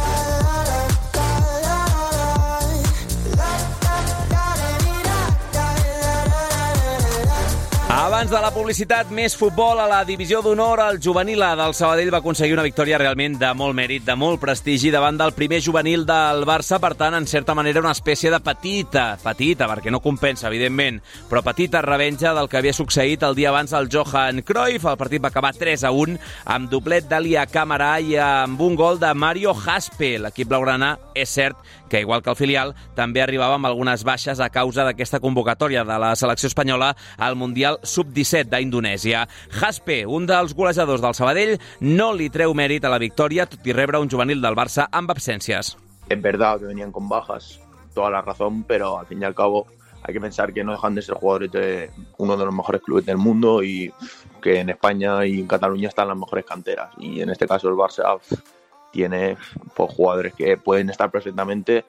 Abans de la publicitat, més futbol a la divisió d'honor. El juvenil A del Sabadell va aconseguir una victòria realment de molt mèrit, de molt prestigi davant del primer juvenil del Barça. Per tant, en certa manera, una espècie de petita, petita, perquè no compensa, evidentment, però petita revenja del que havia succeït el dia abans al Johan Cruyff. El partit va acabar tres a un, amb doblet d'Elia Camarà i amb un gol de Mario Jaspe. L'equip blaugrana, és cert que, igual que el filial, també arribava amb algunes baixes a causa d'aquesta convocatòria de la selecció espanyola al Mundial sub disset d'Indonèsia. Jaspe, un dels golejadors del Sabadell, no li treu mèrit a la victòria, tot i rebre un juvenil del Barça amb absències. Es verdad que venían con bajas, toda la razón, pero al fin y al cabo hay que pensar que no dejan de ser jugadores de uno de los mejores clubes del mundo y que en España y en Cataluña están las mejores canteras. Y en este caso el Barça tiene pues, jugadores que pueden estar perfectamente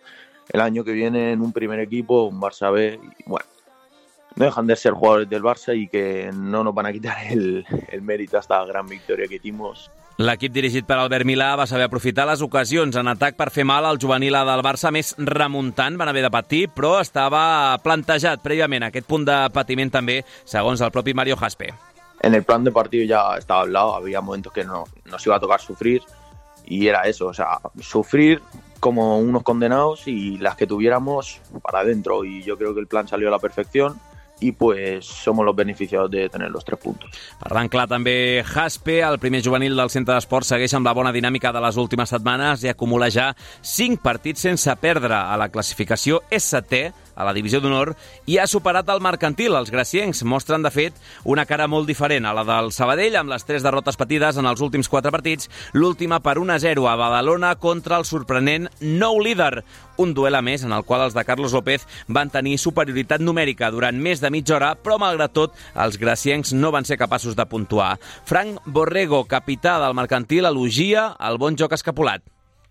el año que viene en un primer equipo, un Barça B, y bueno, no dejan de ser jugadores del Barça y que no nos van a quitar el, el mèrit a esta gran victòria que hicimos. L'equip dirigit per Albert Milà va saber aprofitar les ocasions en atac per fer mal al juvenil A del Barça, més remuntant, van haver de patir, però estava plantejat prèviament aquest punt de patiment també, segons el propi Mario Jaspe. En el plan de partido ya estaba hablado, había momentos que no, nos iba a tocar sufrir y era eso, o sea, sufrir como unos condenados y las que tuviéramos para adentro, y yo creo que el plan salió a la perfección i pues somos los beneficiados de tener los tres puntos. Parlant clar també Jaspe, el primer juvenil del centre d'esports, segueix amb la bona dinàmica de les últimes setmanes i acumula ja cinc partits sense perdre. A la classificació és setè a la divisió d'honor i ha superat el mercantil. Els graciencs mostren, de fet, una cara molt diferent a la del Sabadell, amb les tres derrotes patides en els últims quatre partits, l'última per un a zero a Badalona contra el sorprenent nou líder. Un duel a més en el qual els de Carlos López van tenir superioritat numèrica durant més de mitja hora, però malgrat tot els graciencs no van ser capaços de puntuar. Frank Borrego, capità del mercantil, elogia el bon joc escapulat.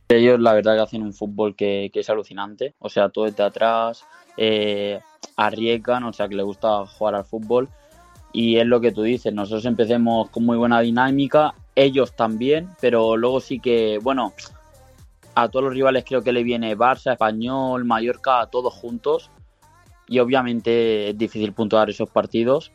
Ellos la verdad que hacen un fútbol que, que es alucinante, o sea, todo desde atrás, eh, arriesgan, o sea, que les gusta jugar al fútbol y es lo que tú dices, nosotros empecemos con muy buena dinámica, ellos también, pero luego sí que, bueno, a todos los rivales creo que le viene Barça, Español, Mallorca, todos juntos y obviamente es difícil puntuar esos partidos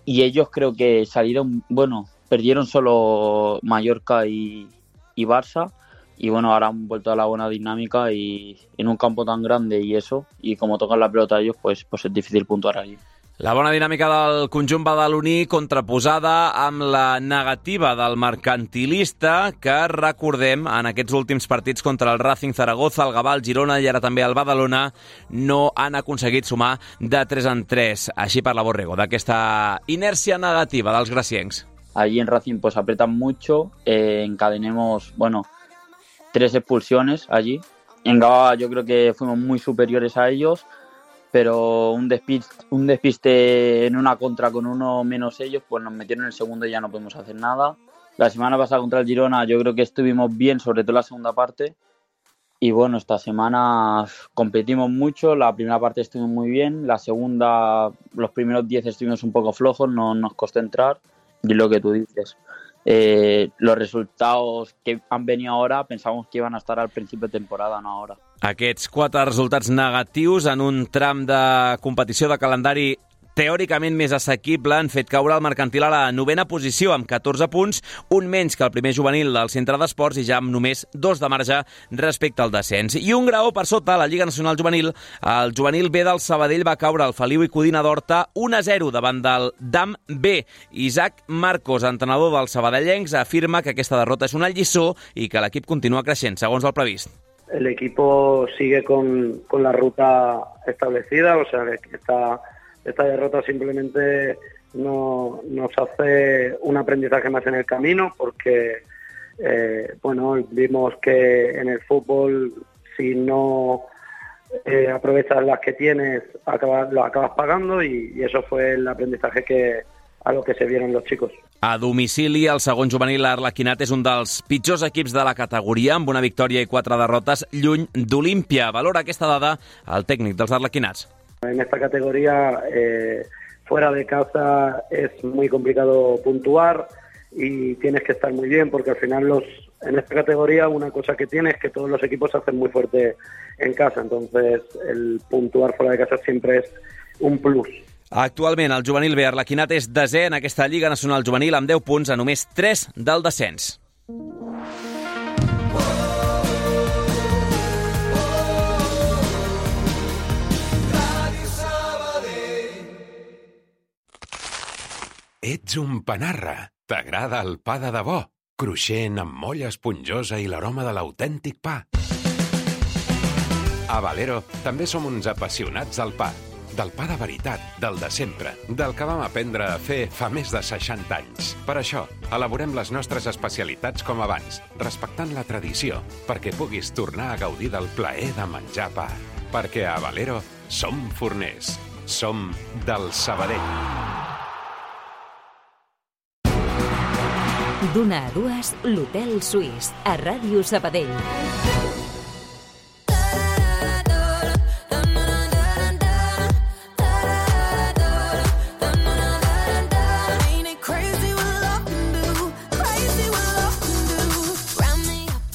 y ellos creo que salieron, bueno, perdieron solo Mallorca y, y Barça. Y bueno, ahora han vuelto a la buena dinámica y en un campo tan grande y eso, y como tocan la pelota ellos, pues, pues es difícil puntuar allí. La bona dinàmica del conjunt badaloní contraposada amb la negativa del mercantilista, que recordem en aquests últims partits contra el Racing Zaragoza, el Gavà, el Girona i ara també el Badalona no han aconseguit sumar de tres en tres. Així parla Borrego d'aquesta inèrcia negativa dels graciencs. Allí en Racing pues apretan mucho, eh, encadenemos, bueno, tres expulsiones allí. En Gavà yo creo que fuimos muy superiores a ellos, pero un despiste, un despiste en una contra con uno menos ellos, pues nos metieron en el segundo y ya no podemos hacer nada. La semana pasada contra el Girona yo creo que estuvimos bien, sobre todo la segunda parte. Y bueno, esta semana competimos mucho, la primera parte estuvimos muy bien, la segunda, los primeros diez estuvimos un poco flojos, no nos costó entrar, y lo que tú dices. Eh, los resultados que han venido ahora pensamos que iban a estar al principio de temporada, no ahora. Aquests quatre resultats negatius en un tram de competició de calendari teòricament més assequible han fet caure el mercantil a la novena posició amb catorze punts, un menys que el primer juvenil del centre d'esports i ja amb només dos de marge respecte al descens. I un graó per sota a la Lliga Nacional Juvenil, el juvenil B del Sabadell va caure al Feliu i Codina d'Horta un a zero davant del D A M B. Isaac Marcos, entrenador dels sabadellencs, afirma que aquesta derrota és una lliçó i que l'equip continua creixent, segons el previst. El equipo sigue con, con la ruta establecida, o sea que está... Esta derrota simplemente no, nos hace un aprendizaje más en el camino porque eh, bueno, vimos que en el fútbol si no eh, aprovechas las que tienes acabas, lo acabas pagando y, y eso fue el aprendizaje que, a lo que se vieron los chicos. A domicili, el segon juvenil Arlequinat és un dels pitjors equips de la categoria, amb una victòria i quatre derrotes, lluny d'Olímpia. Valora aquesta dada el tècnic dels Arlequinats. En esta categoría, eh, fuera de casa es muy complicado puntuar y tienes que estar muy bien, porque al final los en esta categoría una cosa que tiene es que todos los equipos se hacen muy fuerte en casa, entonces el puntuar fuera de casa siempre es un plus. Actualment, el juvenil B Arlequinat és desè en aquesta Lliga Nacional Juvenil amb deu punts a només tres del descens. Ets un panarra. T'agrada el pa de debò? Cruixent, amb molla esponjosa i l'aroma de l'autèntic pa. A Valero també som uns apassionats del pa. Del pa de veritat, del de sempre, del que vam aprendre a fer fa més de seixanta anys. Per això, elaborem les nostres especialitats com abans, respectant la tradició, perquè puguis tornar a gaudir del plaer de menjar pa. Perquè a Valero som forners. Som del Sabadell. D'una a dues, l'Hotel Suís, a Ràdio Sabadell.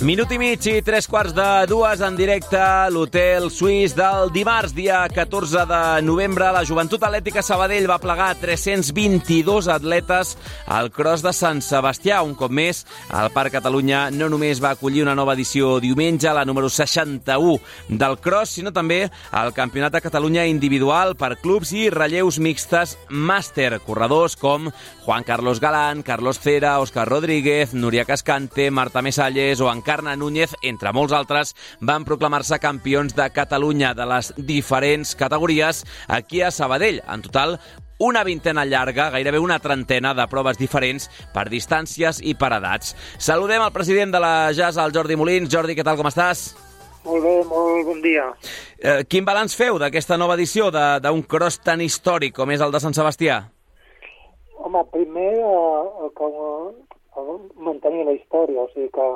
Minut i mig i tres quarts de dues en directe a l'Hotel Suís del dimarts, dia catorze de novembre. La Joventut Atlètica Sabadell va plegar tres-cents vint-i-dos atletes al Cross de Sant Sebastià. Un cop més, el Parc Catalunya no només va acollir una nova edició diumenge, la número seixanta-u del Cross, sinó també el Campionat de Catalunya individual per clubs i relleus mixtes màster. Corredors com Juan Carlos Galán, Carlos Cera, Òscar Rodríguez, Núria Cascante, Marta Mesalles o Encarna Núñez, entre molts altres, van proclamar-se campions de Catalunya de les diferents categories aquí a Sabadell. En total, una vintena llarga, gairebé una trentena de proves diferents per distàncies i per edats. Saludem el president de la J A S, el Jordi Molins. Jordi, què tal, com estàs? Molt bé, molt bon dia. Eh, quin balanç feu d'aquesta nova edició d'un cross tan històric com és el de Sant Sebastià? Home, primer, eh, com, eh, mantenir la història, o sigui que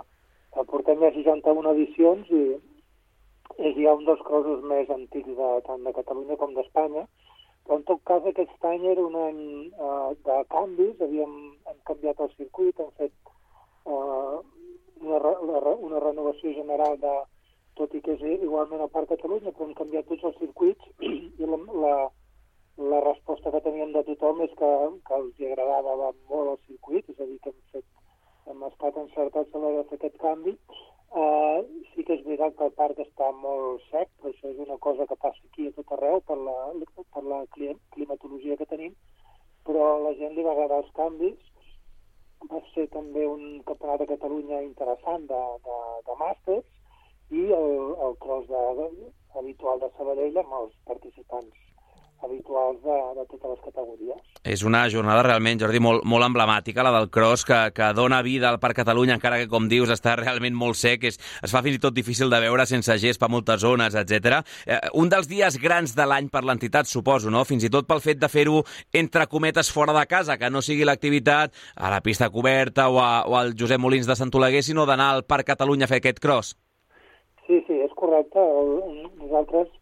portem ja seixanta-una edicions i és ja un dels crossos més antics de, tant de Catalunya com d'Espanya, però en tot cas aquest any era un any uh, de canvis, havíem hem canviat el circuit, hem fet uh, una, la, una renovació general de, tot i que és igualment al Parc Catalunya, però hem canviat tots els circuits i la, la, la resposta que teníem de tothom és que, que els agradava molt el circuit, és a dir, que hem fet hem estat encertats a l'hora de fer aquest canvi. Uh, sí que és veritat que el parc està molt sec, però això és una cosa que passa aquí a tot arreu per la, per la climatologia que tenim, però a la gent li va agradar els canvis. Va ser també un campionat de Catalunya interessant de, de, de màsters i el, el cross de, de, habitual de Sabadell amb els participants habituals de, de totes les categories. És una jornada realment, Jordi, molt, molt emblemàtica, la del cross, que, que dona vida al Parc Catalunya, encara que, com dius, està realment molt sec, és, es fa fins i tot difícil de veure sense gespa a moltes zones, etcètera. Eh, un dels dies grans de l'any per l'entitat, suposo, no? Fins i tot pel fet de fer-ho entre cometes fora de casa, que no sigui l'activitat a la pista coberta o, a, o al Josep Molins de Sant Oleguer, sinó d'anar al Parc Catalunya a fer aquest cross. Sí, sí, és correcte. Nosaltres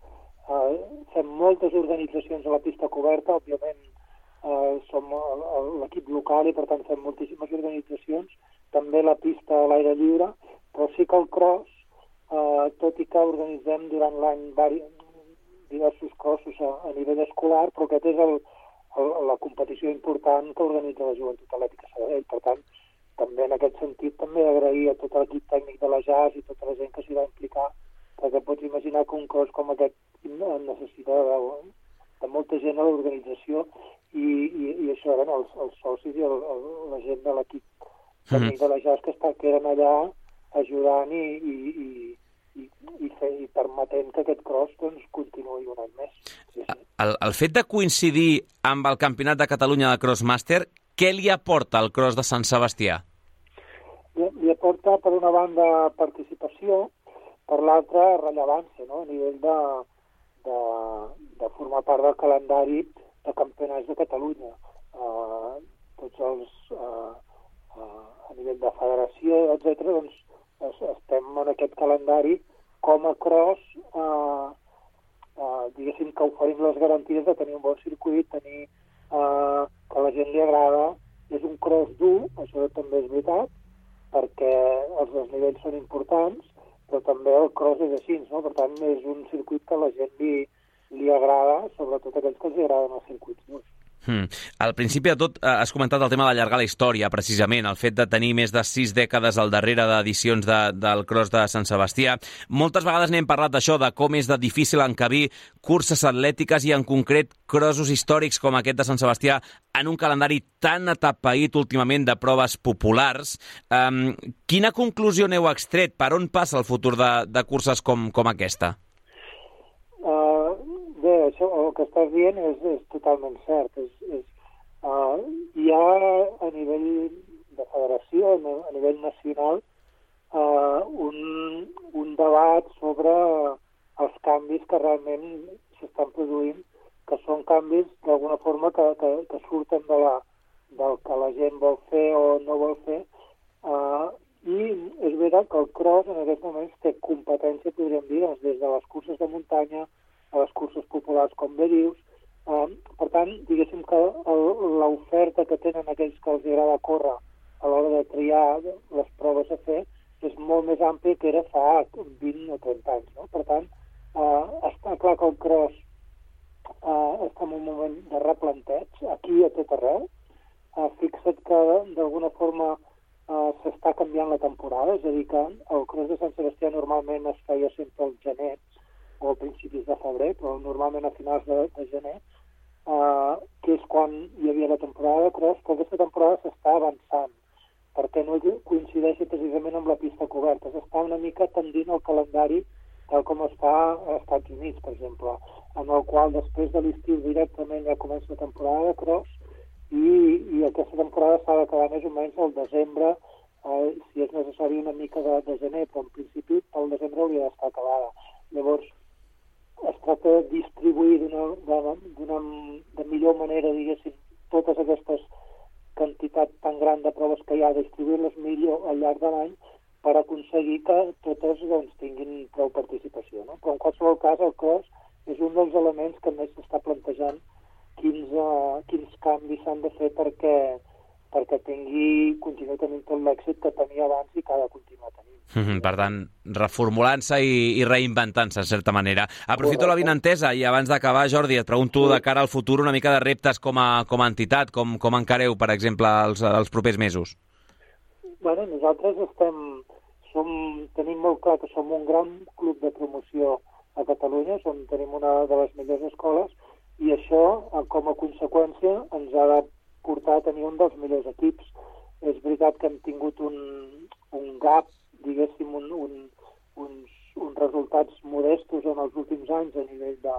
Uh, fem moltes organitzacions a la pista coberta, òbviament uh, som l'equip local i per tant fem moltíssimes organitzacions, també la pista a l'aire lliure, però sí que el cross, uh, tot i que organitzem durant l'any diversos crossos a, a nivell escolar, però aquest és el, el, la competició important que organitza la Joventut Atlètica Sabadell. Per tant, també en aquest sentit també agrair a tot l'equip tècnic de la J A S i tota la gent que s'hi va implicar, perquè pots imaginar que un cross com aquest necessita de, de molta gent a l'organització i, i, i això eren els, els socis i el, el, la gent de l'equip tècnic de la J A S que, està, que eren allà ajudant i, i, i, i, i, fer, i permetent que aquest cross doncs, continuï un any més. Sí, sí. El, el fet de coincidir amb el Campionat de Catalunya de Crossmaster, què li aporta el cross de Sant Sebastià? Li, li aporta, per una banda, participació, per l'altra, rellevància, no? A nivell de, de, de formar part del calendari de campionats de Catalunya. uh, tots els, uh, uh, a nivell de federació, etcètera, doncs es, estem en aquest calendari com a cross, uh, uh, diguéssim que oferim les garanties de tenir un bon circuit, tenir uh, que a la gent li agrada. És un cross dur, això també és veritat, perquè els desnivells són importants, però també el cross és així, no? Per tant, és un circuit que a la gent li, li agrada, sobretot aquells que els agraden els circuits durs. Hmm. Al principi de tot eh, has comentat el tema d'allargar la història, precisament, el fet de tenir més de sis dècades al darrere d'edicions de, del Cross de Sant Sebastià. Moltes vegades n'hem parlat d'això, de com és de difícil encabir curses atlètiques i en concret crossos històrics com aquest de Sant Sebastià en un calendari tan atapeït últimament de proves populars. Um, quina conclusió n'heu extret? Per on passa el futur de, de curses com, com aquesta? Uh, bé, això, el que estàs dient és, és totalment cert. És, és, uh, hi ha a nivell de federació, a nivell nacional, uh, un, un debat sobre els canvis que realment s'estan produint, que són canvis d'alguna forma que, que, que surten de la, del que la gent vol fer o no vol fer. Uh, I és veritat que el cross en aquests moments té competència, podríem dir, doncs, des de les curses de muntanya a les curses populars, com bé dius. Uh, per tant, diguéssim que l'oferta que tenen aquells que els agrada córrer a l'hora de triar les proves a fer és molt més àmplia que era fa vint o trenta anys. No? Per tant, uh, està clar que el cross uh, està en un moment de replanteig, aquí a tot arreu. Uh, fixa't que d'alguna forma Uh, s'està canviant la temporada, és a dir, que el Cross de Sant Sebastià normalment es feia sempre al gener o a principis de febrer, però normalment a finals de, de gener, uh, que és quan hi havia la temporada de Cross, però aquesta temporada s'està avançant, perquè no coincideixi precisament amb la pista coberta. S'està una mica tendint al calendari tal com es fa als Estats Units, per exemple, en el qual després de l'estiu directament ja comença la temporada de Cross, I, i aquesta temporada s'ha d'acabar més o menys al desembre, eh, si és necessari una mica de, de gener, però en principi el desembre hauria d'estar acabada. Llavors, es tracta de distribuir d'una de millor manera, diguéssim, totes aquestes quantitats tan grans de proves que hi ha, distribuir-les millor al llarg de l'any per aconseguir que totes doncs, tinguin prou participació. No? Però en qualsevol cas el cross és un dels elements que més s'està plantejant Quins, uh, quins canvis s'han de fer perquè, perquè tingui, continuï tenint tot l'èxit que tenia abans i que ha de continuar tenint. Mm-hmm, per tant, reformulant-se i, i reinventant-se, en certa manera. Aprofito Correcte. La vinentesa i abans d'acabar, Jordi, et pregunto sí. de cara al futur una mica de reptes com a, com a entitat, com, com encareu, per exemple, els, els propers mesos? Bueno, nosaltres estem, som, tenim molt clar que som un gran club de promoció a Catalunya, som, tenim una de les millors escoles, i això, com a conseqüència, ens ha de portar a tenir un dels millors equips. És veritat que hem tingut un, un gap, diguéssim, un, un, uns, uns resultats modestos en els últims anys a nivell de,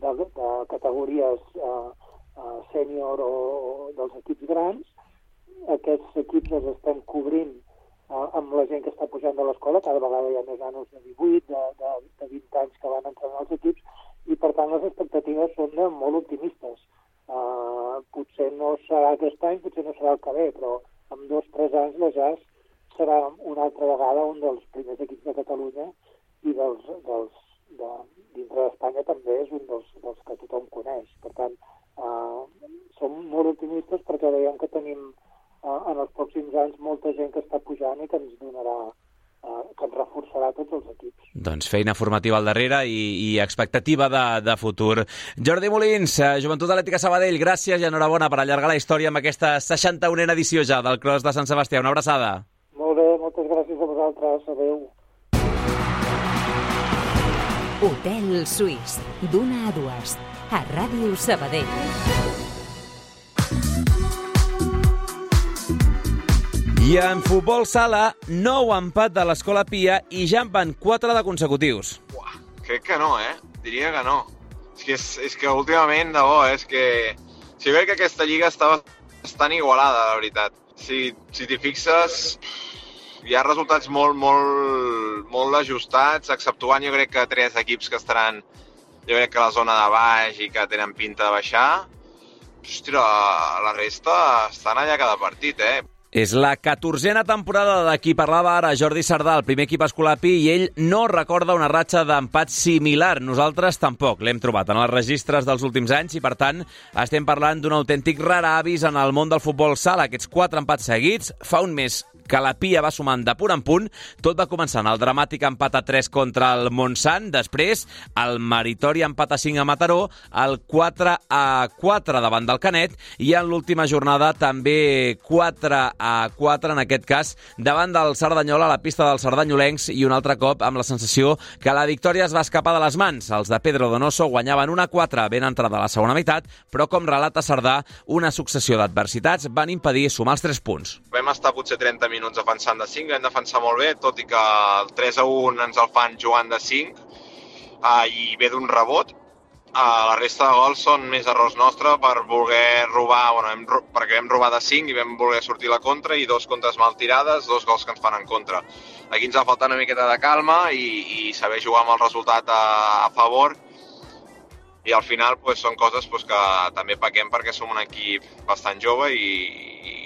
de, de categories uh, uh, sènior o, o dels equips grans. Aquests equips els estem cobrint uh, amb la gent que està pujant de l'escola, cada vegada hi ha més nanos de divuit, de, de, de vint anys que van entrar als equips, i per tant les expectatives són molt optimistes. Uh, potser no serà aquest any, potser no serà el que ve, però en dos o tres anys la J A S serà una altra vegada un dels primers equips de Catalunya i dels, dels, de, dintre d'Espanya també és un dels, dels que tothom coneix. Per tant, uh, som molt optimistes perquè veiem que tenim uh, en els pròxims anys molta gent que està pujant i que ens donarà que ens reforçarà tots els equips. Doncs feina formativa al darrere i, i expectativa de, de futur. Jordi Molins, Joventut Atlètica Sabadell, gràcies i enhorabona per allargar la història amb aquesta seixanta-unena edició ja del Cross de Sant Sebastià. Una abraçada. Molt bé, moltes gràcies a vosaltres. Adéu. Hotel Suís, d'una a dues, a Ràdio Sabadell. I en futbol sala, nou empat de l'Escola Pia i ja en van quatre de consecutius. Uah, crec que no, eh? Diria que no. És que, és, és que últimament, de bo, eh? és que... Si veig que aquesta lliga estava estan igualada, la veritat. Si, si t'hi fixes, hi ha resultats molt, molt, molt ajustats, exceptuant jo crec que tres equips que estaran, jo crec que a la zona de baix i que tenen pinta de baixar. Hòstia, la, la resta estan allà cada partit, eh? És la catorzena temporada de qui parlava ara Jordi Sardà, el primer equip escolapi, i ell no recorda una ratxa d'empat similar. Nosaltres tampoc l'hem trobat en els registres dels últims anys i, per tant, estem parlant d'un autèntic rar avis en el món del futbol sala. Aquests quatre empats seguits, fa un mes que la Pia va sumant de punt en punt. Tot va començar en el dramàtic empat a tres contra el Montsant, després el meritori empat a cinc a Mataró, el quatre a quatre davant del Canet i en l'última jornada també quatre a quatre, en aquest cas, davant del Cerdanyola a la pista dels sardanyolencs i un altre cop amb la sensació que la victòria es va escapar de les mans. Els de Pedro Donoso guanyaven un a quatre ben entrada a la segona meitat, però com relata Sardà, una successió d'adversitats van impedir sumar els tres punts. Vam estar potser trenta minuts defensant de cinc, vam defensar molt bé, tot i que el tres a un ens el fan jugant de cinc uh, i ve d'un rebot. Uh, la resta de gols són més errors nostres per voler robar, bueno, hem, perquè vam robar de cinc i vam voler sortir a la contra i dos contres mal tirades, dos gols que ens fan en contra. Aquí ens ha faltat una miqueta de calma i, i saber jugar amb el resultat a, a favor, i al final pues, són coses pues, que també pequem perquè som un equip bastant jove i, i,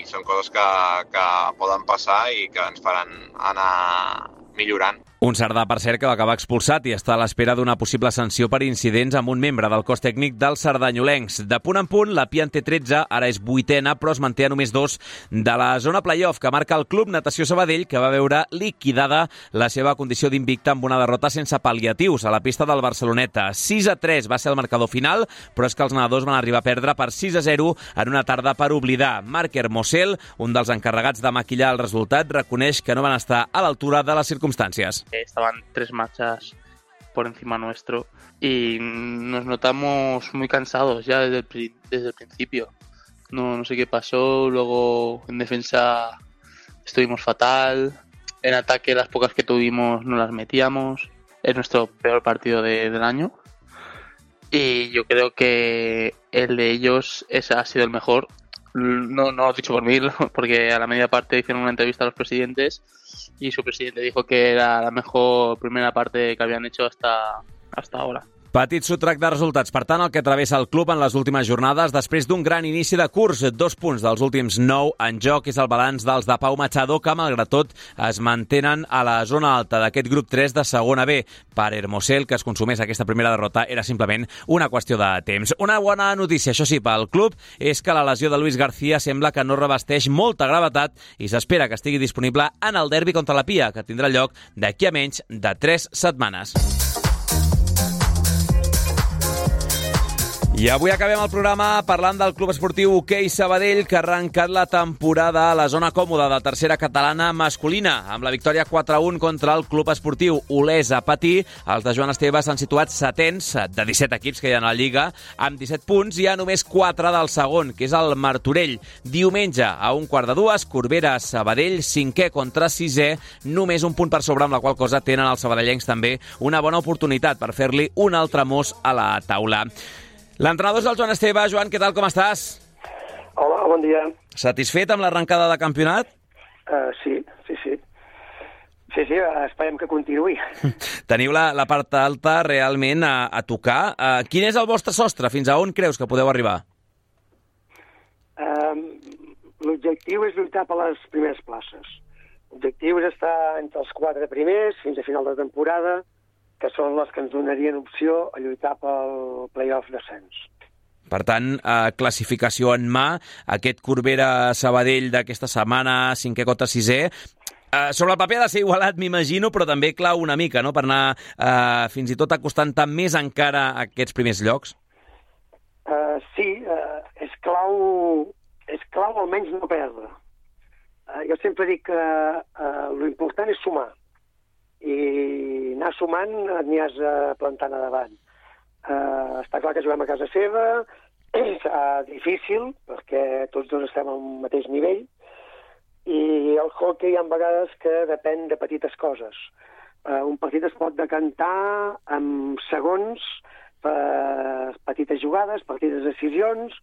i són coses que, que poden passar i que ens faran anar millorant. Un Sardà, per cert, que va acabar expulsat i està a l'espera d'una possible sanció per incidents amb un membre del cos tècnic dels sardanyolencs. De punt en punt, la Pia en té tretze, ara és vuitena, però es manté a només dos de la zona playoff que marca el Club Natació Sabadell, que va veure liquidada la seva condició d'invicta amb una derrota sense pal·liatius a la pista del Barceloneta. sis a tres va ser el marcador final, però és que els nedadors van arribar a perdre per sis a zero en una tarda per oblidar. Marc Hermosel, un dels encarregats de maquillar el resultat, reconeix que no van estar a l'altura de les circumstàncies. Estaban tres marchas por encima nuestro y nos notamos muy cansados ya desde el, desde el principio. No, no sé qué pasó, luego en defensa estuvimos fatal, en ataque las pocas que tuvimos no las metíamos, es nuestro peor partido de, del año y yo creo que el de ellos ese ha sido el mejor. No, no lo he dicho por mí, porque a la media parte hicieron una entrevista a los presidentes y su presidente dijo que era la mejor primera parte que habían hecho hasta, hasta ahora. Petit sotrac de resultats, per tant, el que travessa el club en les últimes jornades després d'un gran inici de curs. Dos punts dels últims nou en joc és el balanç dels de Pau Machado, que malgrat tot es mantenen a la zona alta d'aquest grup tres de segona B. Per Hermosel, que es consumés aquesta primera derrota, era simplement una qüestió de temps. Una bona notícia, això sí, pel club, és que la lesió de Luis García sembla que no revesteix molta gravetat i s'espera que estigui disponible en el derbi contra la Pia, que tindrà lloc d'aquí a menys de tres setmanes. I avui acabem el programa parlant del Club Esportiu Hoquei Sabadell, que ha arrencat la temporada a la zona còmoda de tercera catalana masculina. Amb la victòria quatre a un contra el Club Esportiu Olesa Patí, els de Joan Esteve s'han situat setens de disset equips que hi ha a la Lliga, amb disset punts i a només quatre del segon, que és el Martorell. Diumenge, a un quart de dues, Corbera Sabadell, cinquè contra sisè, només un punt per sobre, amb la qual cosa tenen els sabadellencs també una bona oportunitat per fer-li un altre mos a la taula. L'entrenador és el Joan Esteve. Joan, què tal, com estàs? Hola, bon dia. Satisfet amb l'arrencada de campionat? Uh, sí, sí, sí. Sí, sí, esperem que continuï. Teniu la, la part alta realment a, a tocar. Uh, quin és el vostre sostre? Fins a on creus que podeu arribar? Uh, L'objectiu és lluitar per les primeres places. L'objectiu és estar entre els quatre primers fins a final de temporada, que són les que ens donarien opció a lluitar pel play-off d'ascens. Per tant, eh, classificació en mà, aquest Corbera-Sabadell d'aquesta setmana, cinquè contra sisè, eh, sobre el paper ha de ser igualat, m'imagino, però també clau una mica, no?, per anar eh, fins i tot acostant-te més encara a aquests primers llocs. Uh, sí, uh, és clau, és clau almenys no perdre. Uh, jo sempre dic que uh, l'important és sumar, i anar sumant n'hi has plantant a davant. Uh, està clar que juguem a casa seva, és uh, difícil, perquè tots dos estem al mateix nivell, i el hockey hi ha vegades que depèn de petites coses. Uh, un partit es pot decantar amb segons, per petites jugades, petites decisions,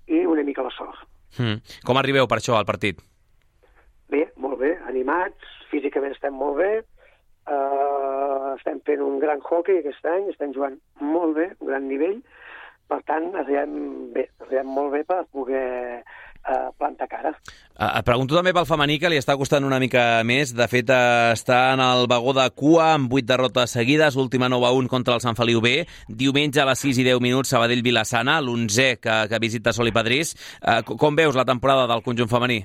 i una mica la sort. Mm. Com arribeu per això al partit? Bé, molt bé, animats, físicament estem molt bé, Uh, estem fent un gran hockey aquest any, estem jugant molt bé, un gran nivell, per tant, arribem bé, arribem molt bé per poder eh, plantar cara. Et pregunto també pel femení, que li està costant una mica més. De fet, està en el vagó de cua amb vuit derrotes seguides, última nou a un contra el Sant Feliu B. Diumenge a les sis i deu minuts, Sabadell-Vilassana, l'onzè que, que visita Sol i Padrís. Eh, com veus la temporada del conjunt femení?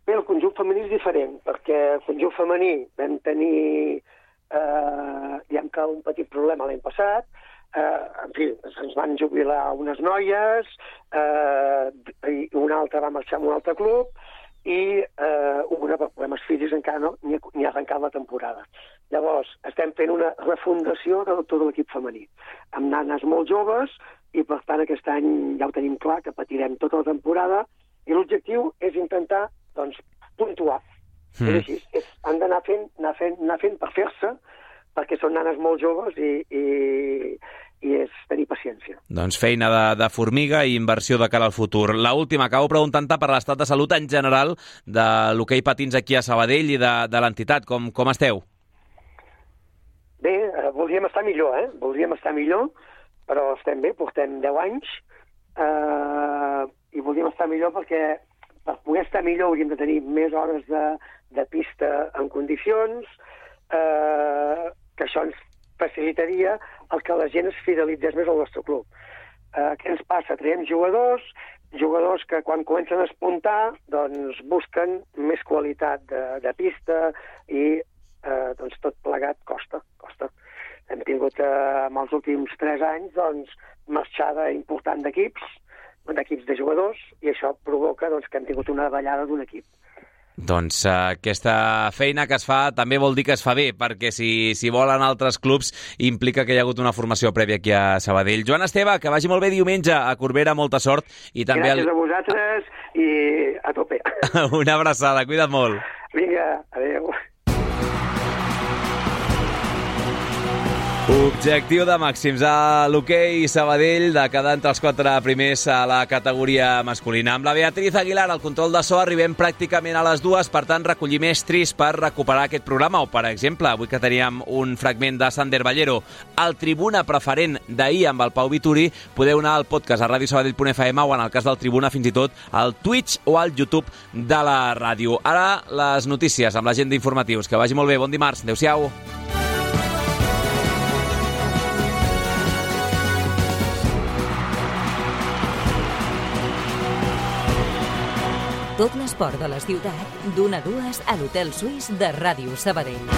Bé, el conjunt femení és diferent, perquè el conjunt femení vam tenir eh, diguem que un petit problema l'any passat. Eh, en fi, ens van jubilar unes noies, eh, i una altra va marxar a un altre club, i eh, una per problemes físics encara no ni ha, ni ha arrencat la temporada. Llavors, estem fent una refundació de tot l'equip femení, amb nanes molt joves, i per tant aquest any ja ho tenim clar, que patirem tota la temporada, i l'objectiu és intentar, doncs, puntuar. Mm. És així, és, han d'anar fent, anar fent, anar fent per fer-se, perquè són nanes molt joves i, i, i és tenir paciència. Doncs feina de, de formiga i inversió de cara al futur. La última, acabo preguntant-te per l'estat de salut en general de l'hoquei patins aquí a Sabadell i de, de l'entitat. Com, com esteu? Bé, eh, voldríem estar millor, eh? Voldríem estar millor, però estem bé, portem deu anys, eh, i voldríem estar millor perquè per poder estar millor hauríem de tenir més hores de, de pista en condicions, eh, que això ens facilitaria el que la gent es fidelitzés més al nostre club. Eh, què ens passa? Traiem jugadors, jugadors que quan comencen a espuntar doncs busquen més qualitat de, de pista i eh, doncs tot plegat costa, costa. Hem tingut eh, en els últims tres anys doncs, marxada important d'equips, d'equips de jugadors, i això provoca doncs, que hem tingut una davallada d'un equip. Doncs uh, aquesta feina que es fa també vol dir que es fa bé, perquè si, si volen altres clubs implica que hi ha hagut una formació prèvia aquí a Sabadell. Joan Esteve, que vagi molt bé diumenge a Corbera, molta sort. I també Gràcies el... a vosaltres i a tope. Una abraçada, cuida't molt. Vinga, adéu. Objectiu de màxims a l'hoquei Sabadell de quedar entre els quatre primers a la categoria masculina. Amb la Beatriz Aguilar al control de so arribem pràcticament a les dues, per tant recollir estris per recuperar aquest programa, o per exemple, avui que teníem un fragment de Sander Ballero, el Tribuna preferent d'ahir amb el Pau Vituri, podeu anar al podcast a radio sabadell punt f m o en el cas del Tribuna fins i tot al Twitch o al YouTube de la ràdio. Ara les notícies amb l'agenda d'informatius. Que vagi molt bé, bon dimarts, adeu-siau. Tot l'esport de la ciutat, d'una a dues a l'Hotel Suís de Ràdio Sabadell.